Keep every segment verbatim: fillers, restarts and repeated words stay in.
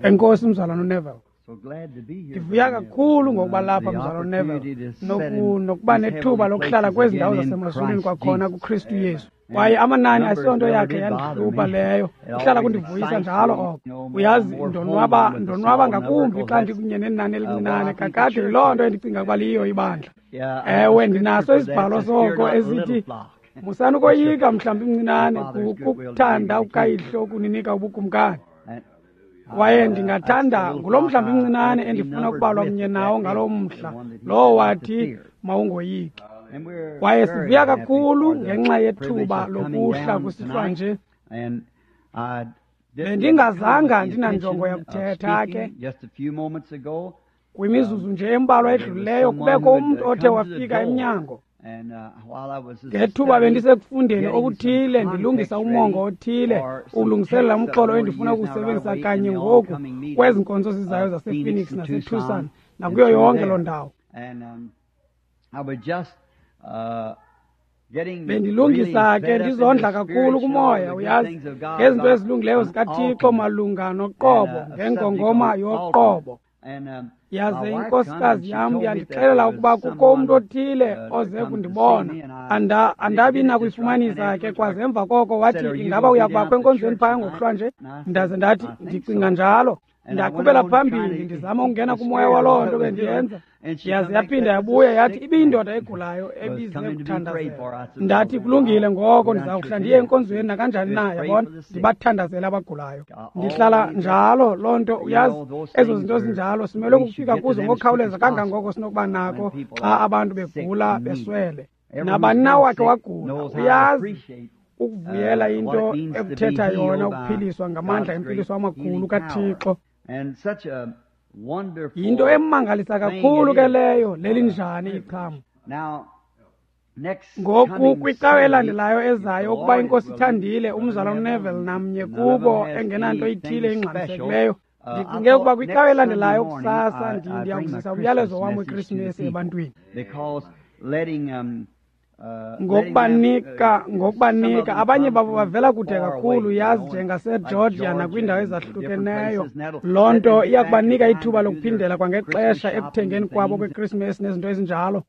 Enkosi mzalwana uNeville. Ndivuya kakhulu ngokuba lapha mzalwana uNeville nokuba nethuba lokuhlala kwezi ndawo zasemazulwini kwakhona kuKristu Yesu. Kwaye amanani asiyonto yakhe yandihlupha leyo, ihlala kundivuyisa njalo oko. Uyazi, ndonwaba ndonwaba ngakumbi xa ndikunye nenani elincinane, kakade yiloo nto endicinga ukuba liyiyo ibandla. Ewe, ndinaso isibhalo soko esithi, musani ukoyika mhlambi mncinane, kukuthanda kukayihlo ukuninika ubukumkani. Kwaye ndingathanda ngulo mhlambi mncinane endifuna ukubalwa mnye nawo ngalo mhla, lowo wathi mawungoyiki. Kwaye sivuya kakhulu ngenxa yethuba lokuhla kusihlwa nje. Bendingazanga ndinanjongo yakuthetha ke. Kwimizuzu nje embalwa edlulileyo kubekho umntu othe wafika emnyango. Ngethuba bendisekufundeni okuthile, ndilungisa umongo othile, ukulungiselela umxholo endifuna ukuwusebenzisa kanye ngoku kwezi nkonzo zizayo zasePhoenix naseTucson nakuyo yonke loo ndawo. Bendilungisa ke ndizondla kakhulu kumoya, uyazi, ngezinto ezilungileyo zikaThixo malunga noqobo, ngengongoma yoqobo. Yaze inkosikazi yam yandixelela ukuba kukho umntu othile oze kundibona. Anda andabi nakuyifumanisa ke kwaze emva koko wathi, ingaba uya kubakho enkonzweni phaya ngokuhlwa nje? Ndaze ndathi, ndicinga njalo. Ndaqhubela phambili ndizama ukungena kumoya waloo nto bendiyenza. Yaze yaphinda yabuya yathi ibiyindoda egulayo ebize kuthandazela. Ndathi kulungile ngoko, ndiza kuhla ndiye enkonzweni nakanjani na, yabona, ndibathandazele abagulayo. Ndihlala njalo loo nto, uyazi, ezo zinto zinjalo simelwe kukufika kuzo ngokukhawuleza kangangoko sinokuba nako xa abantu begula beswele. Nabani na wakhe wagula, uyazi ukuvuyela into ekuthetha yona ukuphiliswa ngamandla empiliso amakhulu kaThixo. Yinto emangalisa kakhulu ke leyo, lelinjani iqhamo. Ngoku kwicawe elandelayo ezayo, ukuba iNkosi ithandile, umzalwana uNeville namnye kubo engenanto ithile ingxamisekileyo, ndicinge ukuba kwicawe elandelayo kusasa ndiya kuzisa umyalezo wam weKrisimesi ebantwini. Ngokubanika ngokubanika abanye babo bavela kude kakhulu, yazi, njengaseGeorgia nakwiindawo ezahlukeneyo. Loo nto iya kubanika ithuba lokuphindela kwangexesha ekuthengeni kwabo kweKrisimesi nezinto ezinjalo.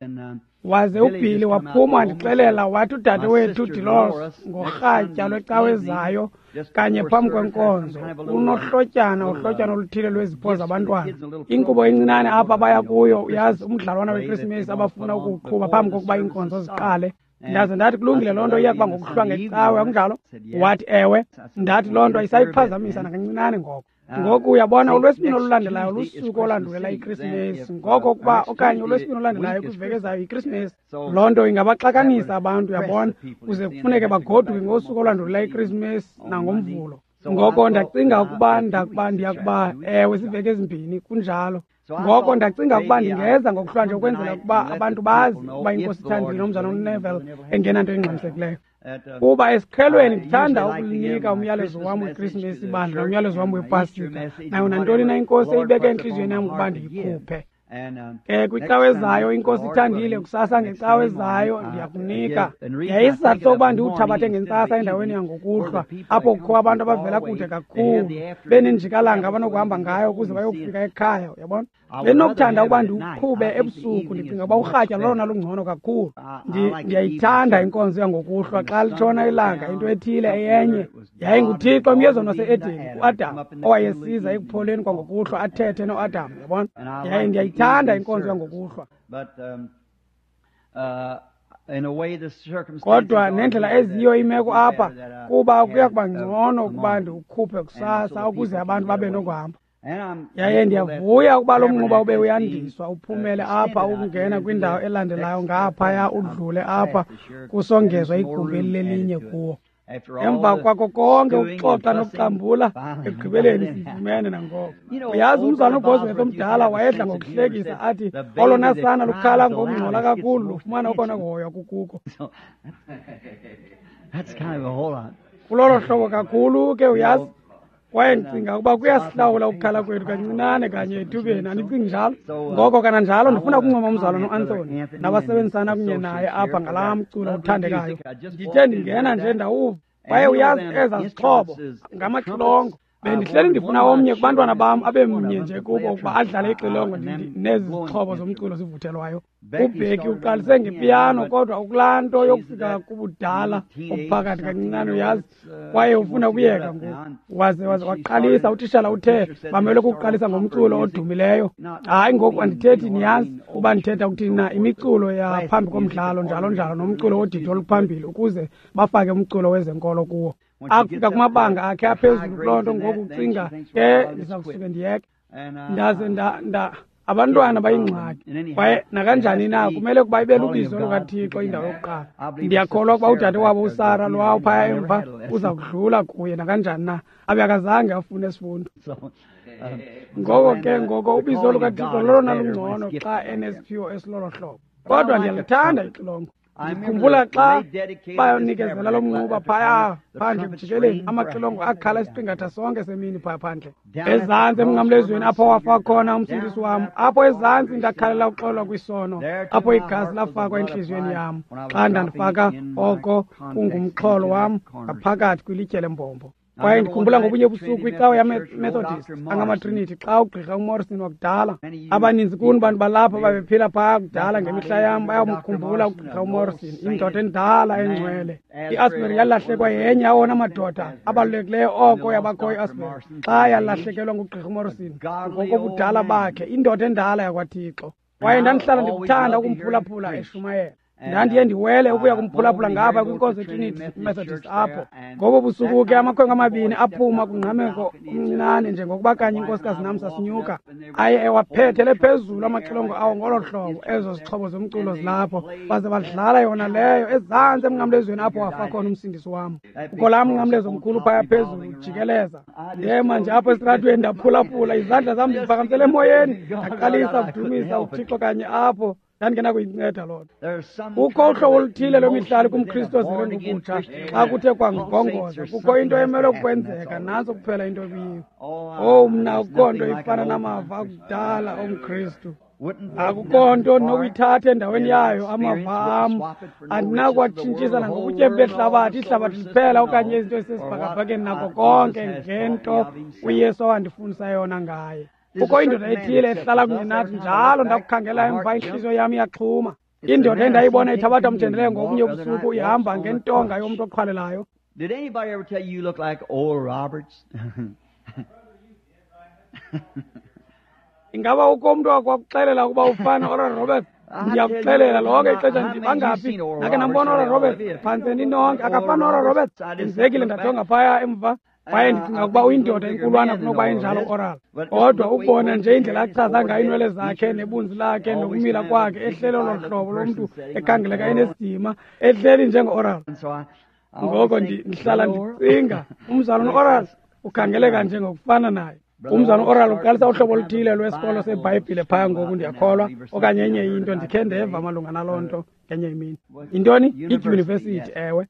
Waze uBilly waphuma wandixelela wathi udade wethu Dolores ngorhatya lwecawe ezayo kanye phambi kwenkonzo unohlotyana uhlotyana oluthile lwezipho zabantwana, inkqubo encinane apha baya kuyo, uyazi, umdlalwana weKrisimesi abafuna ukuwuqhuba phambi kokuba iinkonzo ziqale. Ndaze ndathi kulungile, loo nto iya kuba ngokuhlwa ngecawe, akunjalo? Wathi ewe. Ndathi loo nto ayisayiphazamisa nakancinane ngoko. Ngoku uyabona, ulwesibini olulandelayo lusuku olandulela iKrisimesi, ngoko ukuba okanye ulwesibini olulandelayo kwiveki ezayo yiKrisimesi, loo nto ingabaxakanisa abantu, uyabona, kuze kufuneke bagoduke ngosuku olandulela iKrisimesi nangoMvulo. Ngoko ndacinga ukuba ndakuba ndiyakuba ewe ziveki ezimbini kunjalo. Ngoko ndacinga ukuba ndingeza ngokuhlwa nje ukwenzela ukuba abantu bazi ukuba iNkosi ithandile nomzalwana uNeville engenanto ingxamisekileyo. Kuba esiqhelweni ndithanda ukulinika umyalezo wam weKrisimesi ibandla nomyalezo wam wePasika, nayo nantoni na iNkosi eyibeke entliziyweni yam ukuba ndiyikhuphe. Ke kwicawe ezayo, iNkosi ithandile, kusasa ngecawe ezayo ndiyakunika. Yaye isizathu sokuba ndiwuthabathe ngentsasa endaweni yangokuhlwa, apho kukho abantu abavela kude kakhulu benenjikalanga abanokuhamba ngayo ukuze bayokufika ekhaya, uyabona. Bendinokuthanda ukuba ndiwuqhube ebusuku, ndicinga ukuba urhatya lolona lungcono kakhulu. Ndiyayithanda inkonzo yangokuhlwa xa litshona ilanga, into ethile eyenye. YayinguThixo emyezweni wase-Edeni kuAdam owayesiza ekupholeni kwangokuhlwa athethe noAdam, uyabona. Yaye ndiyayithanda inkonzo yangokuhlwa. Kodwa nendlela eziyo imeko apha, kuba kuya kuba ngcono ukuba ndiwukhuphe kusasa ukuze abantu babe nokuhamba. Yaye ndiyavuya ukuba lo mnquba ube uyandiswa uphumele apha ukungena kwindawo elandelayo ngaphaya udlule apha kusongezwa igumbi elilelinye kuwo. Emva kwako konke ukuxoxa nokuxambula, ekugqibeleni sifumene nangoko. Uyazi, umzalwana uBosworth omdala wayedla ngokuhlekisa athi olona sana lukhala ngokungxola kakhulu lufumana okona kuhoywa kukuko. Kulolo hlobo kakhulu ke, uyazi. Kwaye ndicinga ukuba kuyasihlawula ukukhala kwethu kancinane kanye ethubeni, andicingi njalo? Ngoko kananjalo ndifuna ukuncoma umzalwana uAnthony nabasebenzisana kunye naye apha ngalaa mculo uthandekayo. Ndithe ndingena nje ndawuva, kwaye uyazi ezaa zixhobo ngamaxilongo. Bendihleli ndifuna omnye kubantwana bam abe mnye nje kubo ukuba adlale ixilongo nezi zixhobo zomculo zivuthelwayo. UBheki uqalise ngepiyano, kodwa ukulaa nto yokufika kubudala obuphakathi kancinane, uyazi, kwaye ufuna ukuyeka ngoku. Waze waze waqalisa, utishala uthe bamele ukuqalisa ngomculo odumileyo. Hayi, ngoku andithethi, niyazi uba ndithetha ukuthini na, imiculo yaphambi komdlalo njalo njalo nomculo wodidi oluphambili ukuze bafake umculo wezenkolo kuwo. Akufika kumabanga akhe aphezulu kuloo nto ngoku ucinga ke ndiza kusuke ndiyeke. Ndaze nda nda abantwana bayingxaki, kwaye nakanjani na kumele ukuba ibe lubizo lukaThixo indawo yokuqala. Ndiyakholwa ukuba udade wabo uSara lowa phaya emva uza kudlula kuye nakanjani na, abe akazange afune esifundo. Ngoko ke ngoko ubizo lukaThixo lolona lungcono xa enesiphiwo esilolo hlobo. Kodwa ndiyalithanda ixilongo. Ndikhumbula xa bayonikezela lo mnquba phaya phandle kujikeleni, amaxilongo akhala isiqingatha sonke semini phaya phandle. Ezantsi emnqamlezweni apho wafa khona umsindisi wam, apho ezantsi ndakhalela uxolo kwisono, apho igazi lafakwa entliziyweni yam. Xa ndandifaka oko kungumxholo wam ngaphakathi kwilitye lembombo. Kwaye ndikhumbula ngobunye ubusuku icawe yaMethodist angamaTrinity xa ugqirha uMorrison wakudala. Abaninzi kuni bantu balapha babephila phaa kudala ngemihla yam bayamkhumbula ugqirha uMorrison, indoda endala engcwele. I-Asbury yalahlekwa yenye awona madoda abalulekileyo oko yabakho i-Asbury xa yalahlekelwa ngugqirha uMorrison ngokobudala bakhe, indoda endala yakwaThixo. Kwaye ndandihlala ndikuthanda ukumphulaphula eshumayela. Ndandiye ndiwele ukuya kumphulaphula ngapha kwinkonzo yeTrinity Methodist apho. Ngobo busuku ke amakhwenkwe amabini aphuma kungqameko omncinane njengokuba kanye inkosikazi nam sasinyuka. Aye ewaphethele phezulu amaxilongo awo ngolo hlobo, ezo zixhobo zomculo zilapho, baze badlala yona leyo ezantsi emnqamlezweni apho wafa khona umsindisi wam. Kukho laa mnqamlezo mkhulu phaya phezulu ujikeleza. Ndema nje apho esitratweni ndaphulaphula, izandla zam ndiziphakamisele emoyeni, ndaqalisa ukudumisa uThixo kanye apho. Ndandingenakuyinceda loo nto. Kukho uhlobo oluthile lwemihlali kumKristu ozelwe ngokutsha xa kuthe kwangongoza. Kukho into emele ukwenzeka, nantso kuphela into ekuyiyo. Owu, mna akukho nto ifana namava akudala omKristu. Akukho nto ndinokuyithatha endaweni yayo amava am. Andinakuwatshintshisana nangobutyebi behlabathi, ihlabathi liphela okanye izinto ezisesibhakabhakeni nako konke ngento uYesu awandifundisa yona ngaye. Kukho indoda ethile ehlala kunye nathi njalo, ndakukhangela emva intliziyo yam iyaxhuma. Indoda endayibona ithabatha umthendeleko ngobunye ubusuku ihamba ngentonga yomntu oqhwalelayo. Did anybody ever tell you you look like Oral Roberts? Ingaba ukho umntu wakwakuxelela ukuba ufana Oral Roberts? Ndiyakuxelela lonke ixesha ndibangaphi nake nambona Oral Roberts, phantse ninonke akafani Oral Roberts. Ndenzekile ndajonga phaya emva. Kwaye ndicinga ukuba uyindoda enkulwana kunokuba injalo Oral. Kodwa ukubona nje indlela achaza ngayo iinwele zakhe nebunzi lakhe nokumila kwakhe, ehleli olo hlobo lomntu ekhangeleka enesidima, ehleli njengo-Oral. Ngoko ndihlala ndicinga umzalwana uOral ukhangeleka njengokufana naye. Umzalwana uOral uqalisa uhlobo oluthile lwesikolo seBhayibhile phaya ngoku, ndiyakholwa, okanye enye into. Ndikhe ndeva malunga naloo nto ngenye imini. Yintoni? Idyunivesithi, ewe.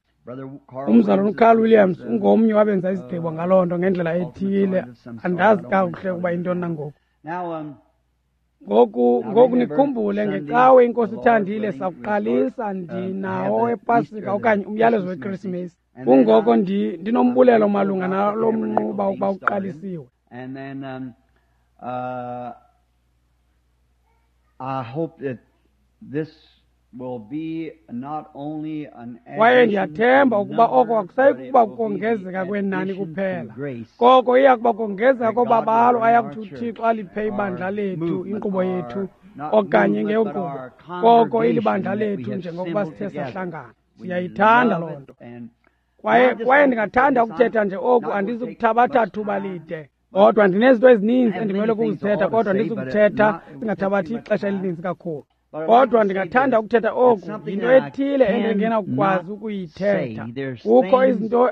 Umzalwana uCarl Williams ungomnye wabenza izigqibo ngaloo nto ngendlela ethile. Andazi kakuhle ukuba yintoni na ngoku. Ngoku ngoku nikhumbule ngecawe iNkosi ithandile sakuqalisa ndinawo wePasika okanye umyalezo weKrisimesi. Kungoko ndinombulelo malunga nalo mnquba ukuba uqalisiwe. And then um, uh, I hope that this will be not only an Kwaye ndiyathemba ukuba oko akusayi kuba kongezeka kwenani kuphela, koko iya kuba kongezeka kobabalo ayakuthi uThixo aliphe ibandla lethu, inkqubo yethu, okanye ngeyonkqubo, koko ilibandla lethu njengokuba sithe sahlangana. Siyayithanda loo nto. Kwaye kwaye ndingathanda ukuthetha nje oku, andizukuthabatha thuba lide. Kodwa ndinezinto ezininzi endimele ukuzithetha, kodwa ndizukuthetha singathabathi ixesha elininzi kakhulu. Kodwa ndingathanda ukuthetha oku, yinto ethile endingenakukwazi ukuyithetha. Kukho izinto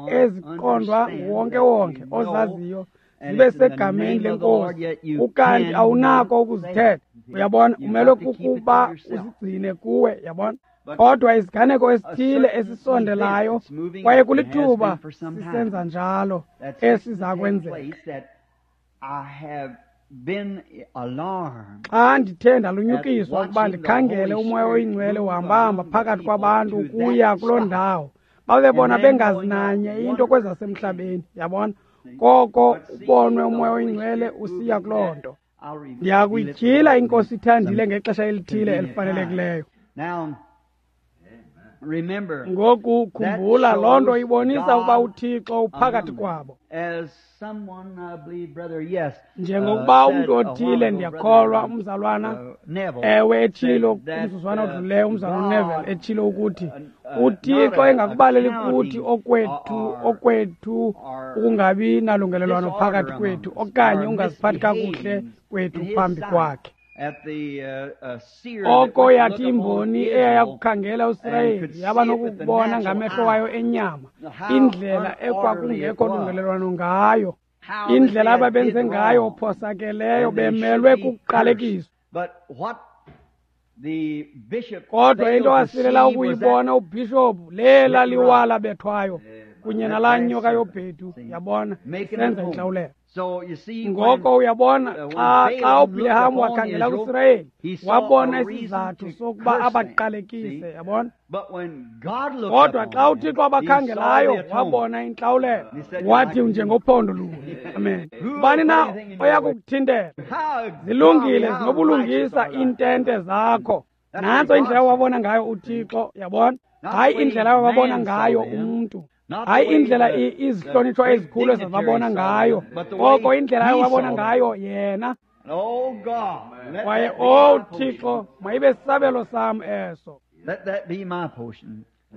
eziqondwa nguwonke-wonke ozaziyo zibe segameni leNkosi, ukanti awunako ukuzithetha. Uyabona, umele kukuba uzigcine kuwe, yabona. Kodwa isiganeko esithile esisondelayo, kwaye kulithuba sisenza njalo, esiza kwenzeka. Xa ndithe ndalunyukiswa ukuba ndikhangele uMoya oyiNgcwele uhambahamba phakathi kwabantu ukuya kuloo ndawo, babe bona bengazi nanye into kwezasemhlabeni, yabona. Koko ubonwe uMoya oyiNgcwele usiya kuloo nto. Ndiyakuyityhila iNkosi ithandile ngexesha elithile elifanelekileyo. Ngoku khumbula, loo nto ibonisa ukuba uThixo uphakathi kwabo. Njengokuba umntu othile, ndiyakholwa, umzalwana, ewe, etshilo kumzuzwana odlulileyo, umzalwana uNeville etshilo ukuthi uThixo engakubaleli kuthi okwethu okwethu ukungabi nalungelelwano phakathi kwethu okanye ungaziphathi kakuhle kwethu phambi kwakhe. Oko yathi imboni eyayakukhangela uSirayeli yaba nokubona ngamehlo wayo enyama indlela ekwakungekho lungelelwano ngayo, indlela ababenze ngayo phosakeleyo, bemelwe kukuqalekiswa. Kodwa into wasilela ukuyibona ubhishophu lela liwala bethwayo kunye nalaa nyoka yobhedu, yabona, senza intlawulelo. Ngoko uyabona, xa xa uBhileham wakhangela kuSirayeli, wabona isizathu sokuba abaqalekise, yabona. Kodwa xa uThixo abakhangelayo, wabona intlawulelo. Wathi njengophondo lunye. Amen. Bani na oya kukuthintela? Zilungile, zinobulungisa iintente zakho. Nantso indlela wabona ngayo uThixo, yabona. Hayi indlela wabona ngayo umntu. Hayi indlela izihlonitshwa ezikhulu ezababona ngayo, koko indlela ayewabona ngayo yena. Kwaye, owu Thixo, mayibe sisabelo sam eso.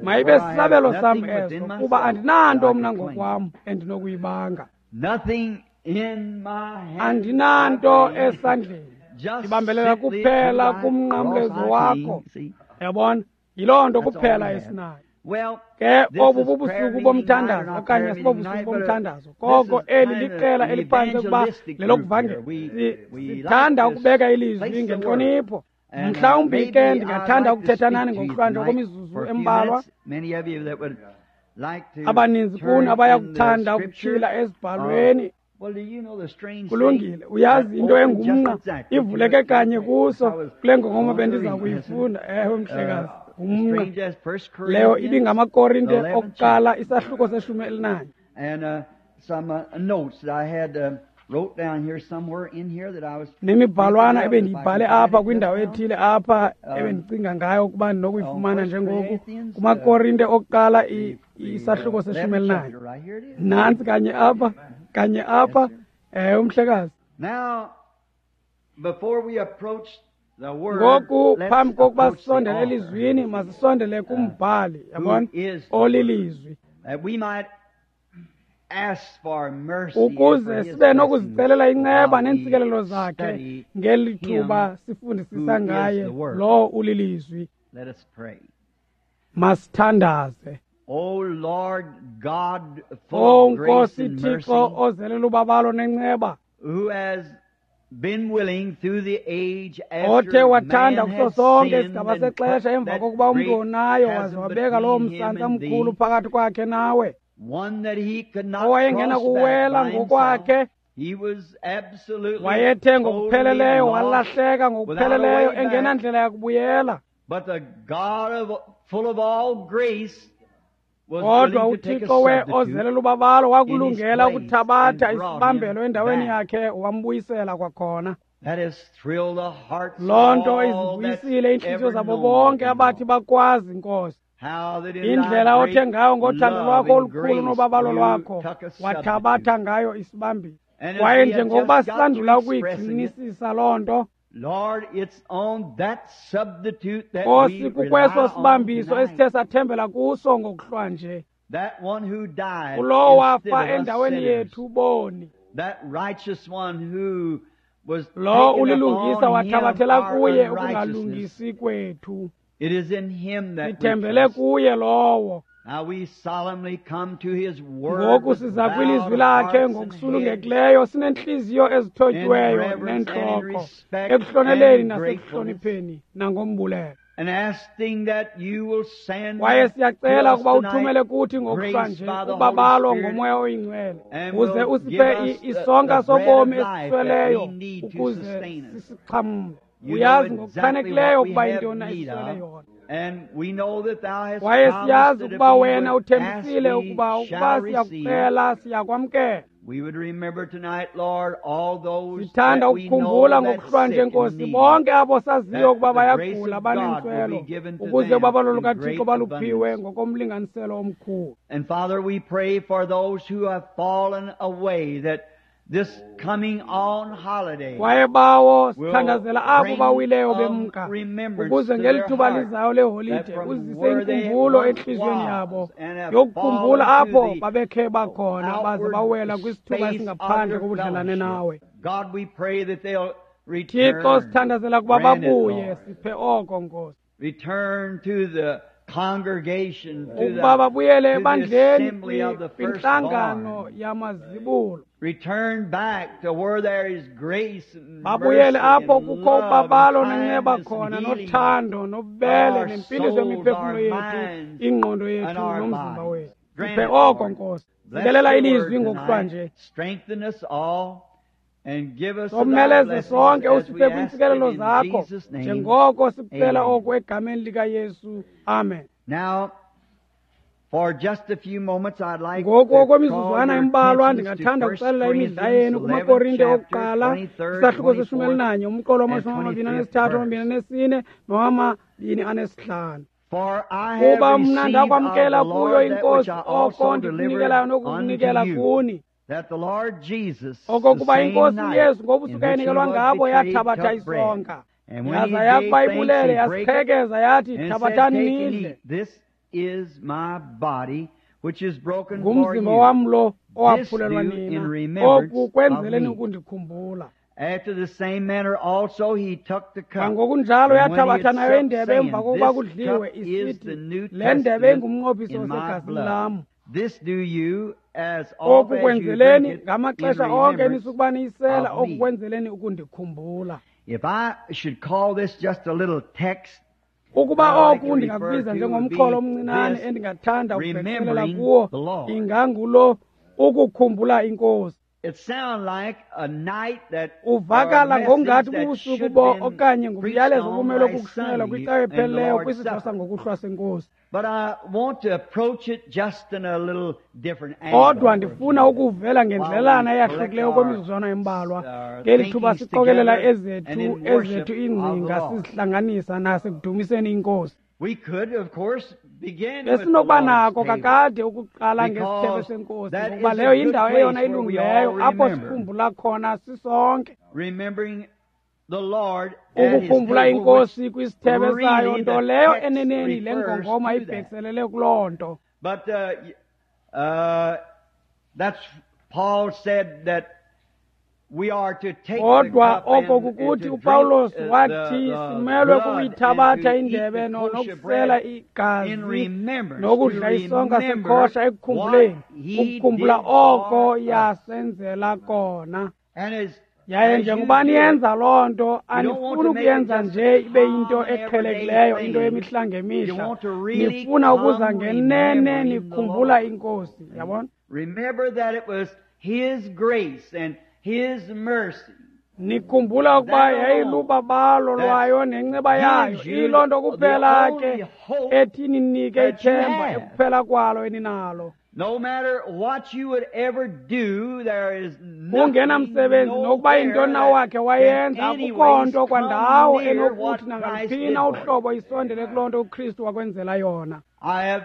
Mayibe sisabelo sam eso, kuba andinanto mna ngokwam endinokuyibanga. Andinanto esandleni. Ndibambelela kuphela kumnqamlezo wakho. Yabona, yiloo nto kuphela esinayo. Ke obu bubusuku bomthandazo okanye sibobusuku bomthandazo, koko eli liqela eliphantse ukuba lelokuvangela. Sithanda ukubeka ilizwi ngentlonipho. Mhlawumbi ke ndingathanda ukuthetha nani ngokuhlwanje okwemizuzu embalwa. Abaninzi kuni abayakuthanda ukutyhila ezibhalweni. Kulungile, uyazi into engumnqa ivuleke kanye kuso kule ngongoma bendiza kuyifunda. Ewe, mhlekazi, ngumnqa. Leyo ibingamaKorinte okuqala isahluko seshumi elinanye. Nemibhalwana ebendiyibhale apha kwindawo ethile apha ebendicinga ngayo ukuba ndinokuyifumana njengoku kumaKorinte okuqala isahluko seshumi elinanye. Nantsi kanye apha, kanye apha, ewe, mhlekazi. Ngoku phambi kokuba sisondele elizwini, masisondele kumbhali, yabona, olilizwi, ukuze sibe nokuzicelela inceba neentsikelelo zakhe ngeli thuba sifundisisa ngaye lowo ulilizwi. Masithandaze. O Nkosi Thixo ozelela ubabalo nenceba, othe wathanda kuso sonke isigaba sexesha emva kokuba umntu onayo waze wabeka lowo msantsa mkhulu phakathi kwakhe nawe, owayengena kuwela ngokwakhe, wayethe ngokupheleleyo walahleka ngokupheleleyo engenandlela yakubuyela. Kodwa uThixo we ozelela ubabalo wakulungela ukuthabatha isibambelo endaweni yakhe wambuyisela kwakhona. Loo nto izivuyisile iintliziyo zabo bonke abathi bakwazi, Nkosi, indlela othe ngayo ngothando lwakho olukhulu nobabalo lwakho wathabatha ngayo isibambelo. Kwaye njengokuba sisandula ukuyigxinisisa loo nto, Nkosi, kukweso sibambiso esithe sathembela kuso ngokuhlwanje, kulowo wafa endaweni yethu boni, lo ulilungisa wathabathela kuye ukungalungisi kwethu. Sithembele kuye lowo. Ngoku siza kwilizwi lakhe ngokusulungekileyo, sinentliziyo ezithotyiweyo nentloko, ekuhloneleni nasekuhlonipheni nangombulelo. Kwaye siyacela ukuba uthumele kuthi ngokuhlwanje ubabalo ngoMoya oyiNgcwele, uze usiphe isonka sobomi esisweleyo ukuze sisixhamle. Uyazi ngokuchanekileyo ukuba intoni esiswele yona. Kwaye siyazi ukuba wena uthembisile ukuba ukuba siyakucela siyakwamkela. We would remember tonight, Lord, all those Sithanda that we know ukukhumbula that's ngokuhlwa nje sick and Nkosi needy, bonke abo saziyo ukuba that the grace bayagula of God will banentswelo be given to ukuze them ubabalo in lukaThixo great baluphiwe abundance. ngokomlinganiselo omkhulu. And Father, we pray for those who have fallen away, that this coming on holiday Kwaye bawo will sithandazela abo bring bawileyo um, bemka remembrance ukuze to ngeli their thuba heart lizayo leholide that from uzise where they inkumbulo once entliziyweni was yabo and have yokukhumbula fallen to apho the babekhe bakhona baze outward bawela kwisithuba space of esingaphandle your kobudlelane fellowship. nawe. God, we pray that they'll Thixo return. sithandazela ukuba Grant it, babuye Lord. siphe oko Nkosi. Return to the congregation, to Ukuba the, babuyele to the ebandleni assembly of the kwintlangano firstborn. yamazibulo. Return back to where there is grace and Babuyele mercy apho and kukho love and ubabalo nenceba kindness and khona healing nothando nobubele our nempiliso souls, yemiphefumlo our yethu, minds, ingqondo and yethu our nomzimba bodies. wethu. Grant Siphe it, oko Lord. Nkosi. Bless Sikelela your ilizwi word ngokuhlwa tonight. nje. Strengthen us all and give us of thy Someleze blessings sonke as we usiphe ask it kwiintsikelelo in zakho Jesus' name. njengoko sikucela Amen. oku egameni likaYesu. Amen. Now, for just a few moments, I'd like Ngoku to draw okwemizuzwana your embalwa attentions to ndingathanda First ukuxelela imidla Corinthians yenu eleventh kumaKorinte chapter, okuqala twenty-third, isahluko seshumi twenty-fourth, elinanye umqolo and wamashumi amabini twenty-fifth anesithathu verse. amabini anesine nowamabini anesihlanu. For I have Kuba mna received of ndakwamkela the kuyo Lord that which iNkosi I oko also delivered ndikunikelayo unto nokukunikela you, kuni that the Lord Jesus, the okokuba same iNkosi night uYesu in ngobusuku which he ayinikelwa was ngabo betrayed, yathabatha took bread. isonka And when he yaza gave yakuba thanks, ibulele he brake it yasiqhekeza yathi and said, thabathani Take and nidle eat. This is my body, which is broken for ngumzimba you. wam lo This owaphulelwa do in nina remembrance oku of kwenzeleni me. ukundikhumbula. After the same manner also he took the cup. Kwangokunjalo And when he yathabatha had nayo supped, indebe saying, emva kokuba This kudliwe cup is the isithi New le ndebe Testament ingumnqophiso in my osegazini blood. lam. This do you as Oku oft as you drink kwenzeleni it in ngamaxesha onke remembrance nisukuba niyisela of oku me. kwenzeleni ukundikhumbula. If I should call this just a little text Ukuba that I'd like oku to refer ndingakubiza to would njengomxholo be omncinane this, endingathanda ukubhekiselela remembering kuwo the Lord. ingangulo ukukhumbula iNkosi. It sounds like a night that or a Uvakala message ngokungathi that bubusuku should bo been okanye preached ngumyalezo on obumelwe last kukushunyelwa Sunday kwicawe in the ephelileyo Lord's kwisidlo Supper. sangokuhlwa senkosi. But I want to approach it just in a little different angle Kodwa for a few ndifuna minutes ukuvela while ngendlelana we collect eyahlukileyo our, kwemizuzwana embalwa our ngeli thuba thinkings siqokelela together and ezethu in worship ezethu of the iingcinga Lord. sizihlanganisa nasekudumiseni iNkosi. We could, of course, begin with the Besinokuba Lord's nako table kakade ukuqala ngesithebe because senkosi that ngokuba is leyo a good yindawo eyona place where we ilungileyo all apho remember. sikhumbula khona sisonke. Remembering the Lord at his Ukukhumbula table, which iNkosi kwisithebe sayo really nto the leyo text eneneni le refers ngongoma to that. ibhekiselele kuloo nto. But uh, uh, that's Paul said that we are to take the Kodwa cup oko and, and kukuthi to drink uPawulos uh, the, wathi the simelwe blood and kukuyithabatha to eat indebe the no- kosher nokusela bread in igazi remembrance, to nokudla isonka remember sekhosha what ekukhumbuleni he ukukhumbula did oko for us. yasenzela kona. And as Yaye as you njengoba do it, niyenza loo nto you don't want anifuni to make it ukuyenza just a nje ibe yinto common everyday eqhelekileyo into thing. yemihla You ngemihla. want to really Nifuna ukuza come ngenene remembering the nikhumbula Lord. iNkosi, yabona? Remember that it was His grace and His mercy Nikhumbula ukuba that alone yayilubabalo that lwayo nenceba yayo gives you iyiloo nto the kuphela only ke hope ethi ninike that you ithemba have. ekuphela kwalo eninalo. No matter what you would ever do, there is nothing Kungenamsebenzi nokuba nowhere yintoni na that wakhe can wayenza akukho anyways nto come kwandawo near enokuthi what Christ nangaluphi did na for you. uhlobo isondele kuloo nto uKristu wakwenzela yona. I have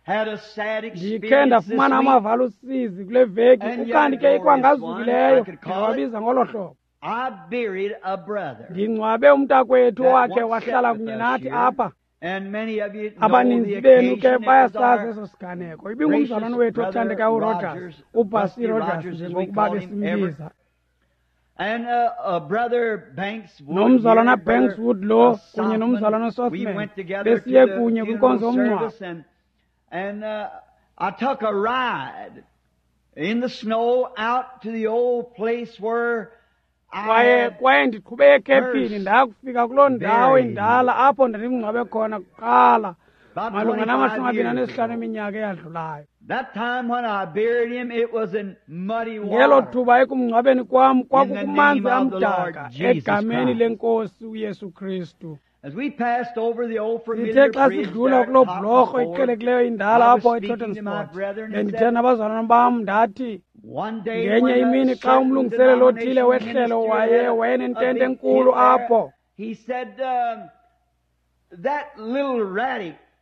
had a sad Ndikhe experience this ndafumana week, amava alusizi kule veki and yet a ukanti ke glorious one, I ikwangazukileyo could call it. ndingawabiza ngolo hlobo. I buried a brother Ndingcwabe umntakwethu that owakhe once sat wahlala with kunye us nathi here, apha. and many of you know the Abaninzi benu ke occasion. It was bayasazi our eso siganeko. gracious Ibingumzalwane wethu brother othandekayo uRogers, Rogers, uBusty Busty Rogers Rogers, as we njengokuba called him ever. besimbiza. And uh, uh, Brother Banks Wood Nomzalwana here, Brother Banks Wood lo uh, kunye Sothman, nomzalwana we Sothman went together to besiye the kunye funeral kwinkonzo yomngcwabo. service, and and uh, I took a ride in the snow out to the old place where I Kwaye had kwaye ndiqhube ekhephini first ndakufika kuloo ndawo buried him indala apho ndandimngcwabe khona kuqala about malunga twenty-five namashumi amabini years anesihlanu ago. eminyaka eyadlulayo. That time when I buried him, it was in muddy Ngelo water. thuba ekumngcwabeni kwam In the kwakukumanzi name of the Lord amdaka Jesus egameni Christ. lenkosi uYesu Kristu. As we passed over the old Sithe familiar xa bridge sidlula there at kuloo Tottenham bhlorho Ford, iqhelekileyo indala I was apho speaking to my eTottensport, brethren and bendithe said, nabazalwana bam ndathi, Ngenye imini xa umlungiseleli othile wehlelo waye wayenentente enkulu apho,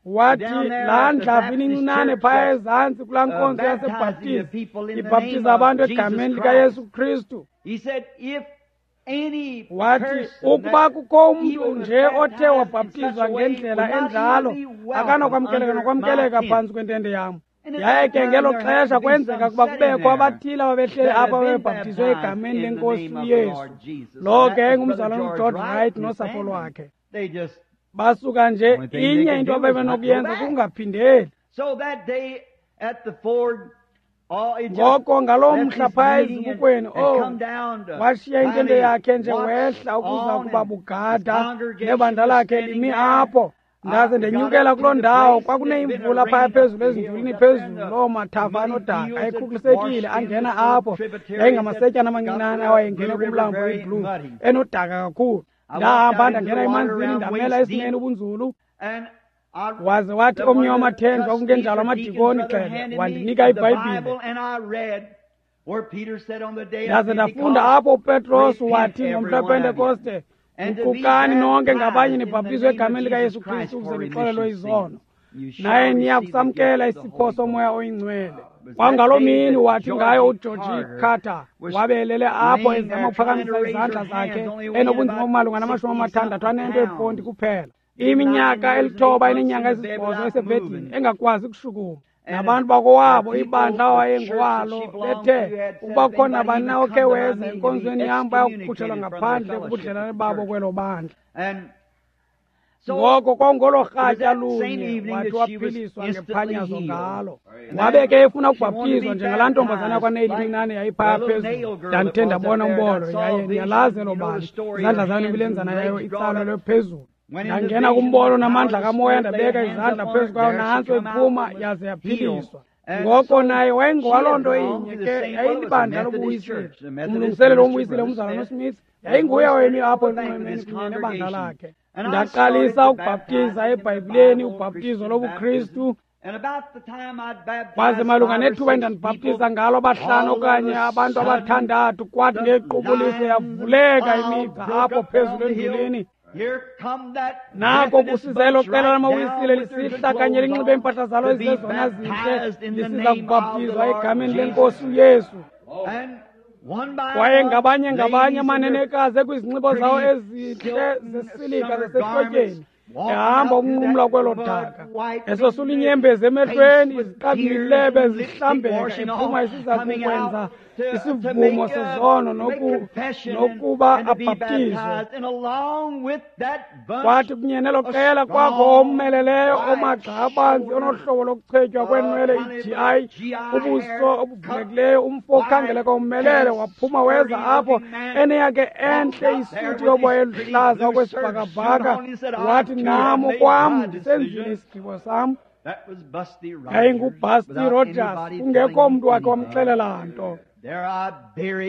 wathi laa ndlavu incinane phaya ezantsi kulaa nkonzo yaseBhaptizi ibhaptiza abantu egameni likaYesu Kristu. Wathi ukuba kukho umntu nje othe wabhaptizwa ngendlela enjalo akanokwamkeleka nokwamkeleka phantsi kwentente yam. Yaye ke ngelo xesha kwenzeka kuba kubekho abathile ababehleli apha babebhaptizwe egameni lenkosi uYesu. Lo ke ngumzalwana uGeorge Wright nosapho lwakhe. Basuka nje inye into ababenokuyenza kungaphindeli. Ngoko ngaloo mhla phaya ezibukweni, oh, washiya intente yakhe nje wehla ukuza kuba bugada nebandla lakhe limi apho. Ndaze ndenyukela kuloo ndawo, kwakuneyimvula phaya phezulu ezindulini phezulu, loo mathafa anodaka ayekhukulisekile angena apho. Yayingamasetyana amancinane awayengene kumlambo iBlue, enodaka kakhulu. Ndahamba ndangena emanzini ndamela esinene ubunzulu. Waze wathi omnye wamathenjwa kungenjalo amadikoni xele wandinika iBhayibhile. Ndaze ndafunda apho uPetros wathi ngomhla wePentekoste, guqukani nonke ngabanye nibhaptizwe egameni likaYesu Kristu ukuze nixolelwe izono, naye niya kusamkela isipho soMoya oyiNgcwele. Kwangaloo mini wathi ngayo uGeorge Carter wabelele apho ezama ukuphakamisa izandla zakhe enobunzima obumalunga namashumi amathandathu anento eponti kuphela, iminyaka elithoba eneenyanga ezisibhozo esebhedini engakwazi kushukuma. Nabantu bakowabo ibandla awayengowalo bethe ukuba kukho nabani na okhe weza enkonzweni yam bayakukhutshelwa ngaphandle kubudlelane babo kwelo bandla. Ngoko kwangolo rhatya lunye wathi waphiliswa ngephanyazo ngalo. Wabe ke efuna ukubhaptizwa njengalaa ntombazana yakwaNeil incinane yayiphaya phezulu. Ndandithe ndabona umbono yaye ndiyalazi elo bali, izandla zayo nemilenzana yayo itsalelwe phezulu. Ndangena kumbono namandla kamoya ndabeka izandla phezu kwayo, nantso iphuma yaze yaphiliswa. Ngoko naye wayengowaloo nto inye ke, yayilibandla lobuwisile, umlungiseleli womwisile umzalwana uSmith yayinguye owayemi apho enxwemeni kunye nebandla lakhe. Ndaqalisa ukubhaptiza eBhayibhileni ubhaptizo lobuKristu. Kwaze malunga nethuba endandibhaptiza ngalo abahlanu okanye abantu abathandathu, kwathi ngequbuliso yavuleka imigca apho phezulu endulini. Nako kusiza elo qela lamawisile lisihla kanye linxibe iimpahla zalo ezizezona zintle lisiza kubhaptizwa egameni lenkosi uYesu. Kwaye ngabanye ngabanye amanenekazi ekwizinxibo zawo ezintle zesilika zasehlotyeni ehamba ukunqumla kwelo daka, esosula inyembezi emehlweni, iziqabimilebe zihlambeka, ephuma isiza kukwenza isivumo sezono nokuba abhaptizwe. Kwathi kunye nelo qela kwakho omeleleyo omagxa abanzi onohlobo lokuchetywa kweenwele i-G I, ubuso obuvulekileyo, umfo okhangeleka omelele, waphuma weza apho eneyakhe entle isuti yoboya eluhlaza okwesibhakabhaka. Wathi, nam okwam ndisenzile isigqibo sam. YayinguBusty Rogers, kungekho mntu wakhe wamxelela nto.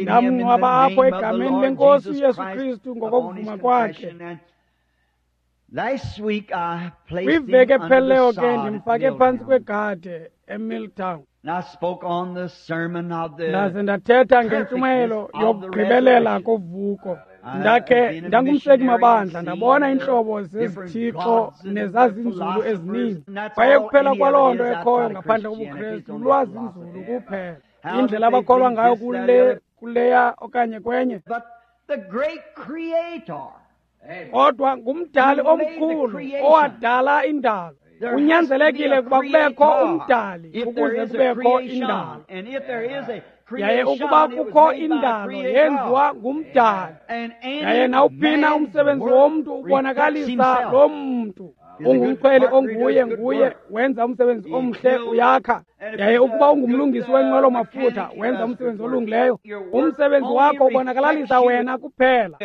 Ndamngcwaba apho egameni lenkosi uYesu Kristu ngokokuvuma kwakhe. Kwiveki ephelileyo ke ndimfake phantsi kwegade eMilltown. Ndaze ndathetha ngentshumayelo yokugqibelela kovuko. Ndakhe ndangumseki mabandla, ndabona iintlobo zezithixo nezazinzulu ezininzi. Kwaye kuphela kwaloo nto ekhoyo ngaphandle kobuKristu lwazinzulu kuphela. Indlela abakholwa ngayo kule kuleya okanye kwenye. Kodwa ngumdali omkhulu owadala indalo. Kunyanzelekile ukuba kubekho umdali ukuze kubekho indalo. Yaye ukuba kukho indalo yenziwa ngumdali, yaye nawuphina umsebenzi womntu ubonakalisa lo mntu ungumkhweli onguye nguye wenza umsebenzi omhle, uyakha. Yaye ukuba ungumlungisi wenqwelo mafutha wenza umsebenzi olungileyo, umsebenzi wakho ubonakalalisa wena kuphela.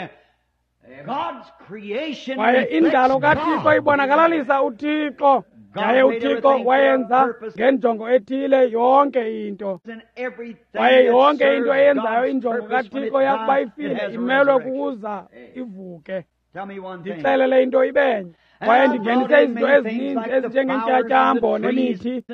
Kwaye indalo kaThixo ibonakalalisa uThixo. Yaye uThixo wayenza ngenjongo ethile yonke into. Kwaye yonke into eyenzayo injongo kaThixo yakuba ifile imelwe kukuza ivuke. Ndixelele into ibenye. Kwaye ndingenise izinto ezininzi ezinjengeentyatyambo nemithi.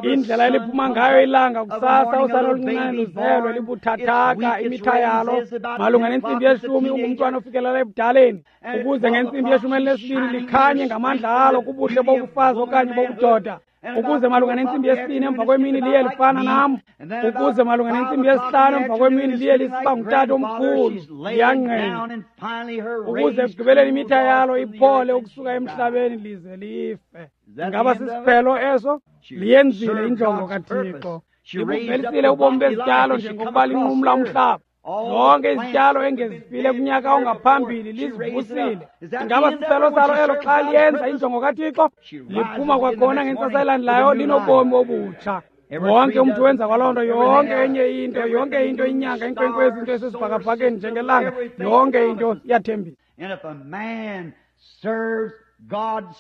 Indlela eliphuma ngayo ilanga kusasa, usana oluncinane luzelwe libuthathaka imitha yalo malunga nentsimbi yeshumi ungumntwana ofikelela ebudaleni, ukuze ngentsimbi yeshumi elinesibini likhanye ngamandla alo kubuhle bobufazi okanye bobudoda, ukuze malunga nentsimbi yesibini emva kwemini liye lifana nam, ukuze malunga nentsimbi yesihlanu emva kwemini liye lisiba ngutata omkhulu liyangqina, ukuze ekugqibeleni imitha yalo iphole ukusuka emhlabeni lize life. Ingaba sisiphelo eso? Liyenzile injongo kaThixo. Libuvelisile ubomi bezityalo njengokuba linqumla umhlaba. Zonke izityalo engezifile kunyaka ongaphambili lizivusile. Ingaba sisiphelo salo elo xa liyenza injongo kaThixo? Liphuma kwakhona ngentsasa elandelayo linobomi obutsha. Wonke umntu wenza kwaloo nto, yonke enye into, yonke into, inyanga, inkwenkwezi, into esesibhakabhakeni njengelanga, yonke into iyathembisa.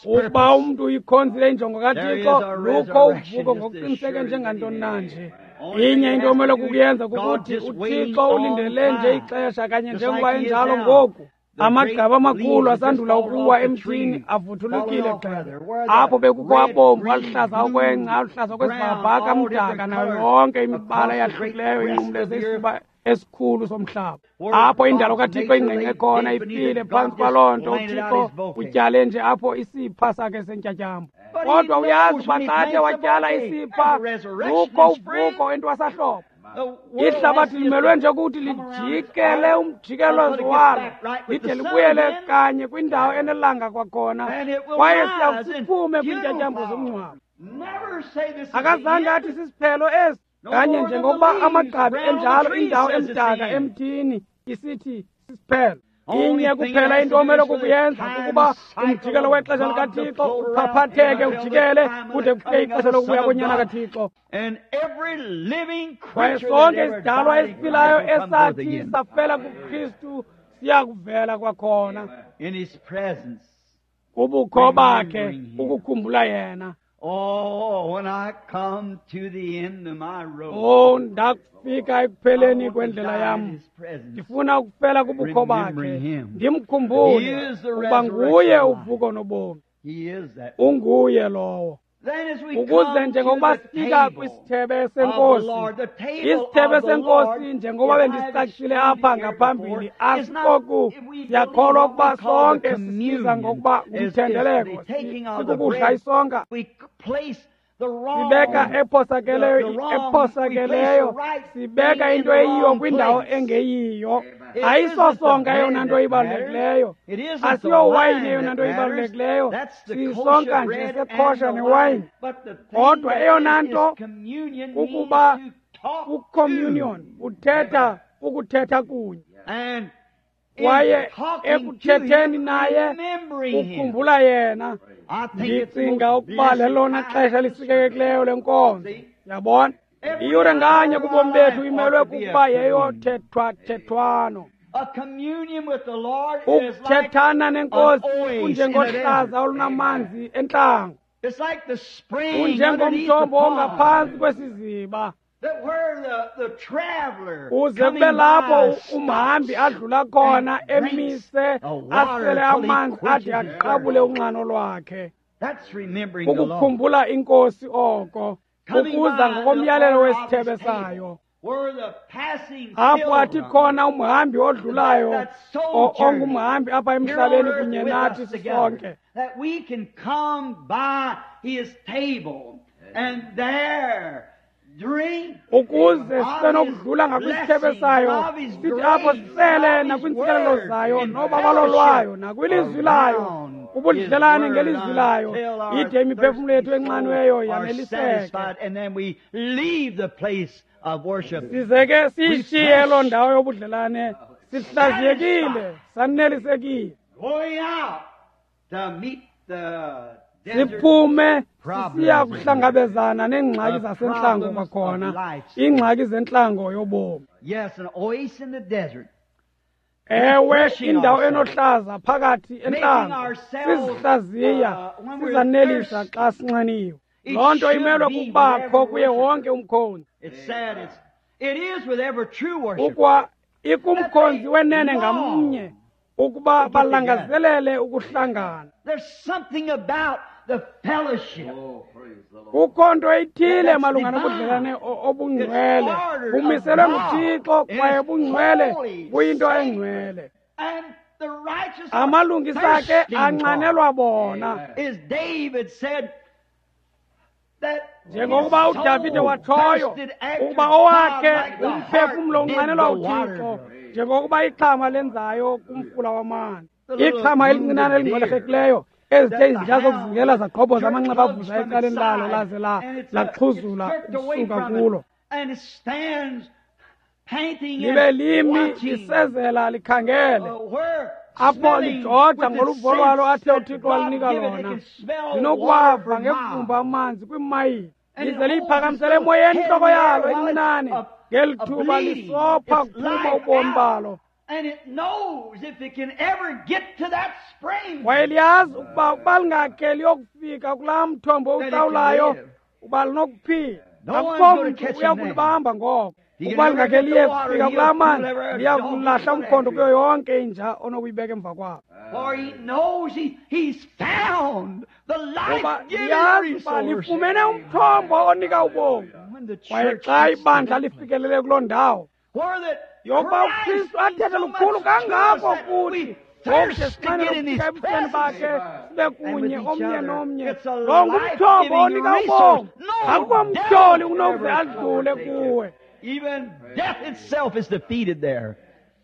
Ukuba umntu uyikhonzile injongo kaThixo, lukho uvuko ngokuqiniseke njengantoni na nje. Inye into omele kukuyenza kukuthi uThixo ulindele nje ixesha kanye njengoba enjalo ngoku. Amagqabi amakhulu asandula ukuwa emthini avuthulukile gxebe. Apho bekukho abomvu, aluhlaza okwengca, aluhlaza okwesibhakabhaka, amdaka, nayo yonke imibala eyahlukileyo inqumleze isifuba esikhulu somhlaba. Apho indalo kaThixo ingqengqe khona ifile phantsi kwaloo nto, uThixo utyale nje apho isipha sakhe sentyatyambo. Kodwa uyazi uba xa athe watyala isipha, lukho uvuko entwasahlobo. Ihlabathi limelwe nje ukuthi lijikele umjikelezo walo lide libuyele kanye kwindawo enelanga kwakhona, kwaye siyawusiphume kwiintyatyambo zomngcwabo. Akazange athi sisiphelo esi, kanye njengokuba amagqabi enjalo indawo emdaka emthini isithi sisiphelo. Inye kuphela into omele kukuyenza kukuba umjikelo wexesha likaThixo uphaphatheke ujikele kude kufike ixesha lokubuya konyana kaThixo. Kwaye sonke isidalwa esiphilayo esathi safela kuKristu siya kuvela kwakhona kubukho bakhe ukukhumbula yena. Oh, when I come to the end of my road. Oh, ndakufika ekupheleni kwendlela yam, ndifuna ukufela kubukho bakhe, ndimkhumbule ukuba nguye uvuko nobomi. Unguye lowo. Ukuze njengokuba sifika kwisithebe senkosi, isithebe senkosi njengoba bendisicacile apha ngaphambili, asikoku siyakholwa ukuba sonke sisiza ngokuba ngumthendeleko, sikukudla isonka. Sibeka ephosakeleyo, ephosakeleyo, sibeka into eyiyo kwindawo engeyiyo. Ayisosonka eyona nto ibalulekileyo, asiyowayini eyona nto ibalulekileyo, sisonka nje sekhosha newayini. Kodwa eyona nto kukuba kucommunion, uthetha ukuthetha kunye. Kwaye ekuthetheni naye ukukhumbula yena. Ndicinga ukuba lelona xesha lisikekileyo lenkonzo. Yabona, iyure nganye kubomi bethu imelwe kukuba yeyothethwathethwano. Ukuthethana nenkosi kunjengohlaza olunamanzi entlango, kunjengomthombo ongaphantsi kwesiziba, uze kube lapho umhambi adlula khona emise asele amanzi ade aqabule unxano lwakhe. Ukukhumbula inkosi oko, ukuza ngokomyalelo wesithebe sayo, apho athi khona umhambi odlulayo ongumhambi apha emhlabeni kunye nathi sisonke, ukuze sisenokudlula ngakwisithebe sayo, sithi apho sisele nakwiintsikelelo zayo nobabalo lwayo nakwilizwi layo, ubudlelane ngelizwi layo, ide imiphefumlo yethu enxanweyo yaneliseke. Size ke siyishiye loo ndawo yobudlelane sihlaziyekile, sanelisekile, siphume sisiya kuhlangabezana neengxaki zasentlango kwakhona, iingxaki zentlango yobomi. Ewe, indawo enohlaza phakathi entlango, sizihlaziya, sizanelisa xa sinxaniwe. Loo nto imelwe kukubakho kuye wonke umkhonzi. Ukwa ikumkhonzi wenene ngamnye ukuba balangazelele ukuhlangana. the fellowship. Kukho nto ithile malunga nobudlelane obungcwele, bumiselwe nguThixo kwaye bungcwele buyinto engcwele. And the righteous are Amalungisa ke thirsting for anxanelwa bona. it. As David said, that Njengokuba his uDavide soul watshoyo thirsted after ukuba God owakhe like the umphefumlo hart did unxanelwa the uThixo water. njengokuba ixhama lenzayo kumfula wamanzi. The little Ixhama elincinane wounded deer elingxwelerhekileyo ezithe that the izinja zokuzingela hound zagqobhoza jerked amanxeba plugs avuza from its ecaleni lalo side, laze la and it's, uh, it's laxhuzula jerked away ukusuka from it, kulo. and it stands panting Libe and limi watching, lisezela likhangele uh, where apho smelling lijoja with the ngoluvo lwalo sense athe that uThixo God walinika give it, it lona. can smell water Linokuwava for ngevumba miles. amanzi kwiimayile, And it lize holds its liyiphakamisele little emoyeni head in intloko the air yalo while it's encinane a, ngeli a thuba bleeding lisopha its kuphuma life ubomi out. balo. And it knows if it can ever get to that spring Kwaye liyazi ukuba ukuba lingakhe liyokufika kulaa mthombo that it can utsawulayo live. uba linokuphila. No one's Akukho going to mntu catch uya him then. kulibamba ngoko. He can Ukuba never lingakhe get the liye water, kufika he'll kulaa pull manzi every liya dog kulahla and put umkhondo after kuyo it. yonke inja onokuyibeka emva kwabo. For he knows he, he's found the Ngoba life-giving liyazi uba resource. lifumene umthombo onika ubomi. When the Kwaye church xa gets to ibandla that place, lifikelele kuloo ndawo where that yokuba Christ uKristu means athethe so lukhulu much to us kangako that kuthi we ngoku thirst to sinxanele get in his ukufika ebusweni presence bakhe sibe and with kunye each omnye other. nomnye. It's a Lo ngumthombo life-giving onika resource. ubomi. No Akukho devil mtyholi can unokuze ever adlule overtake it. kuwe. Even death itself is defeated there.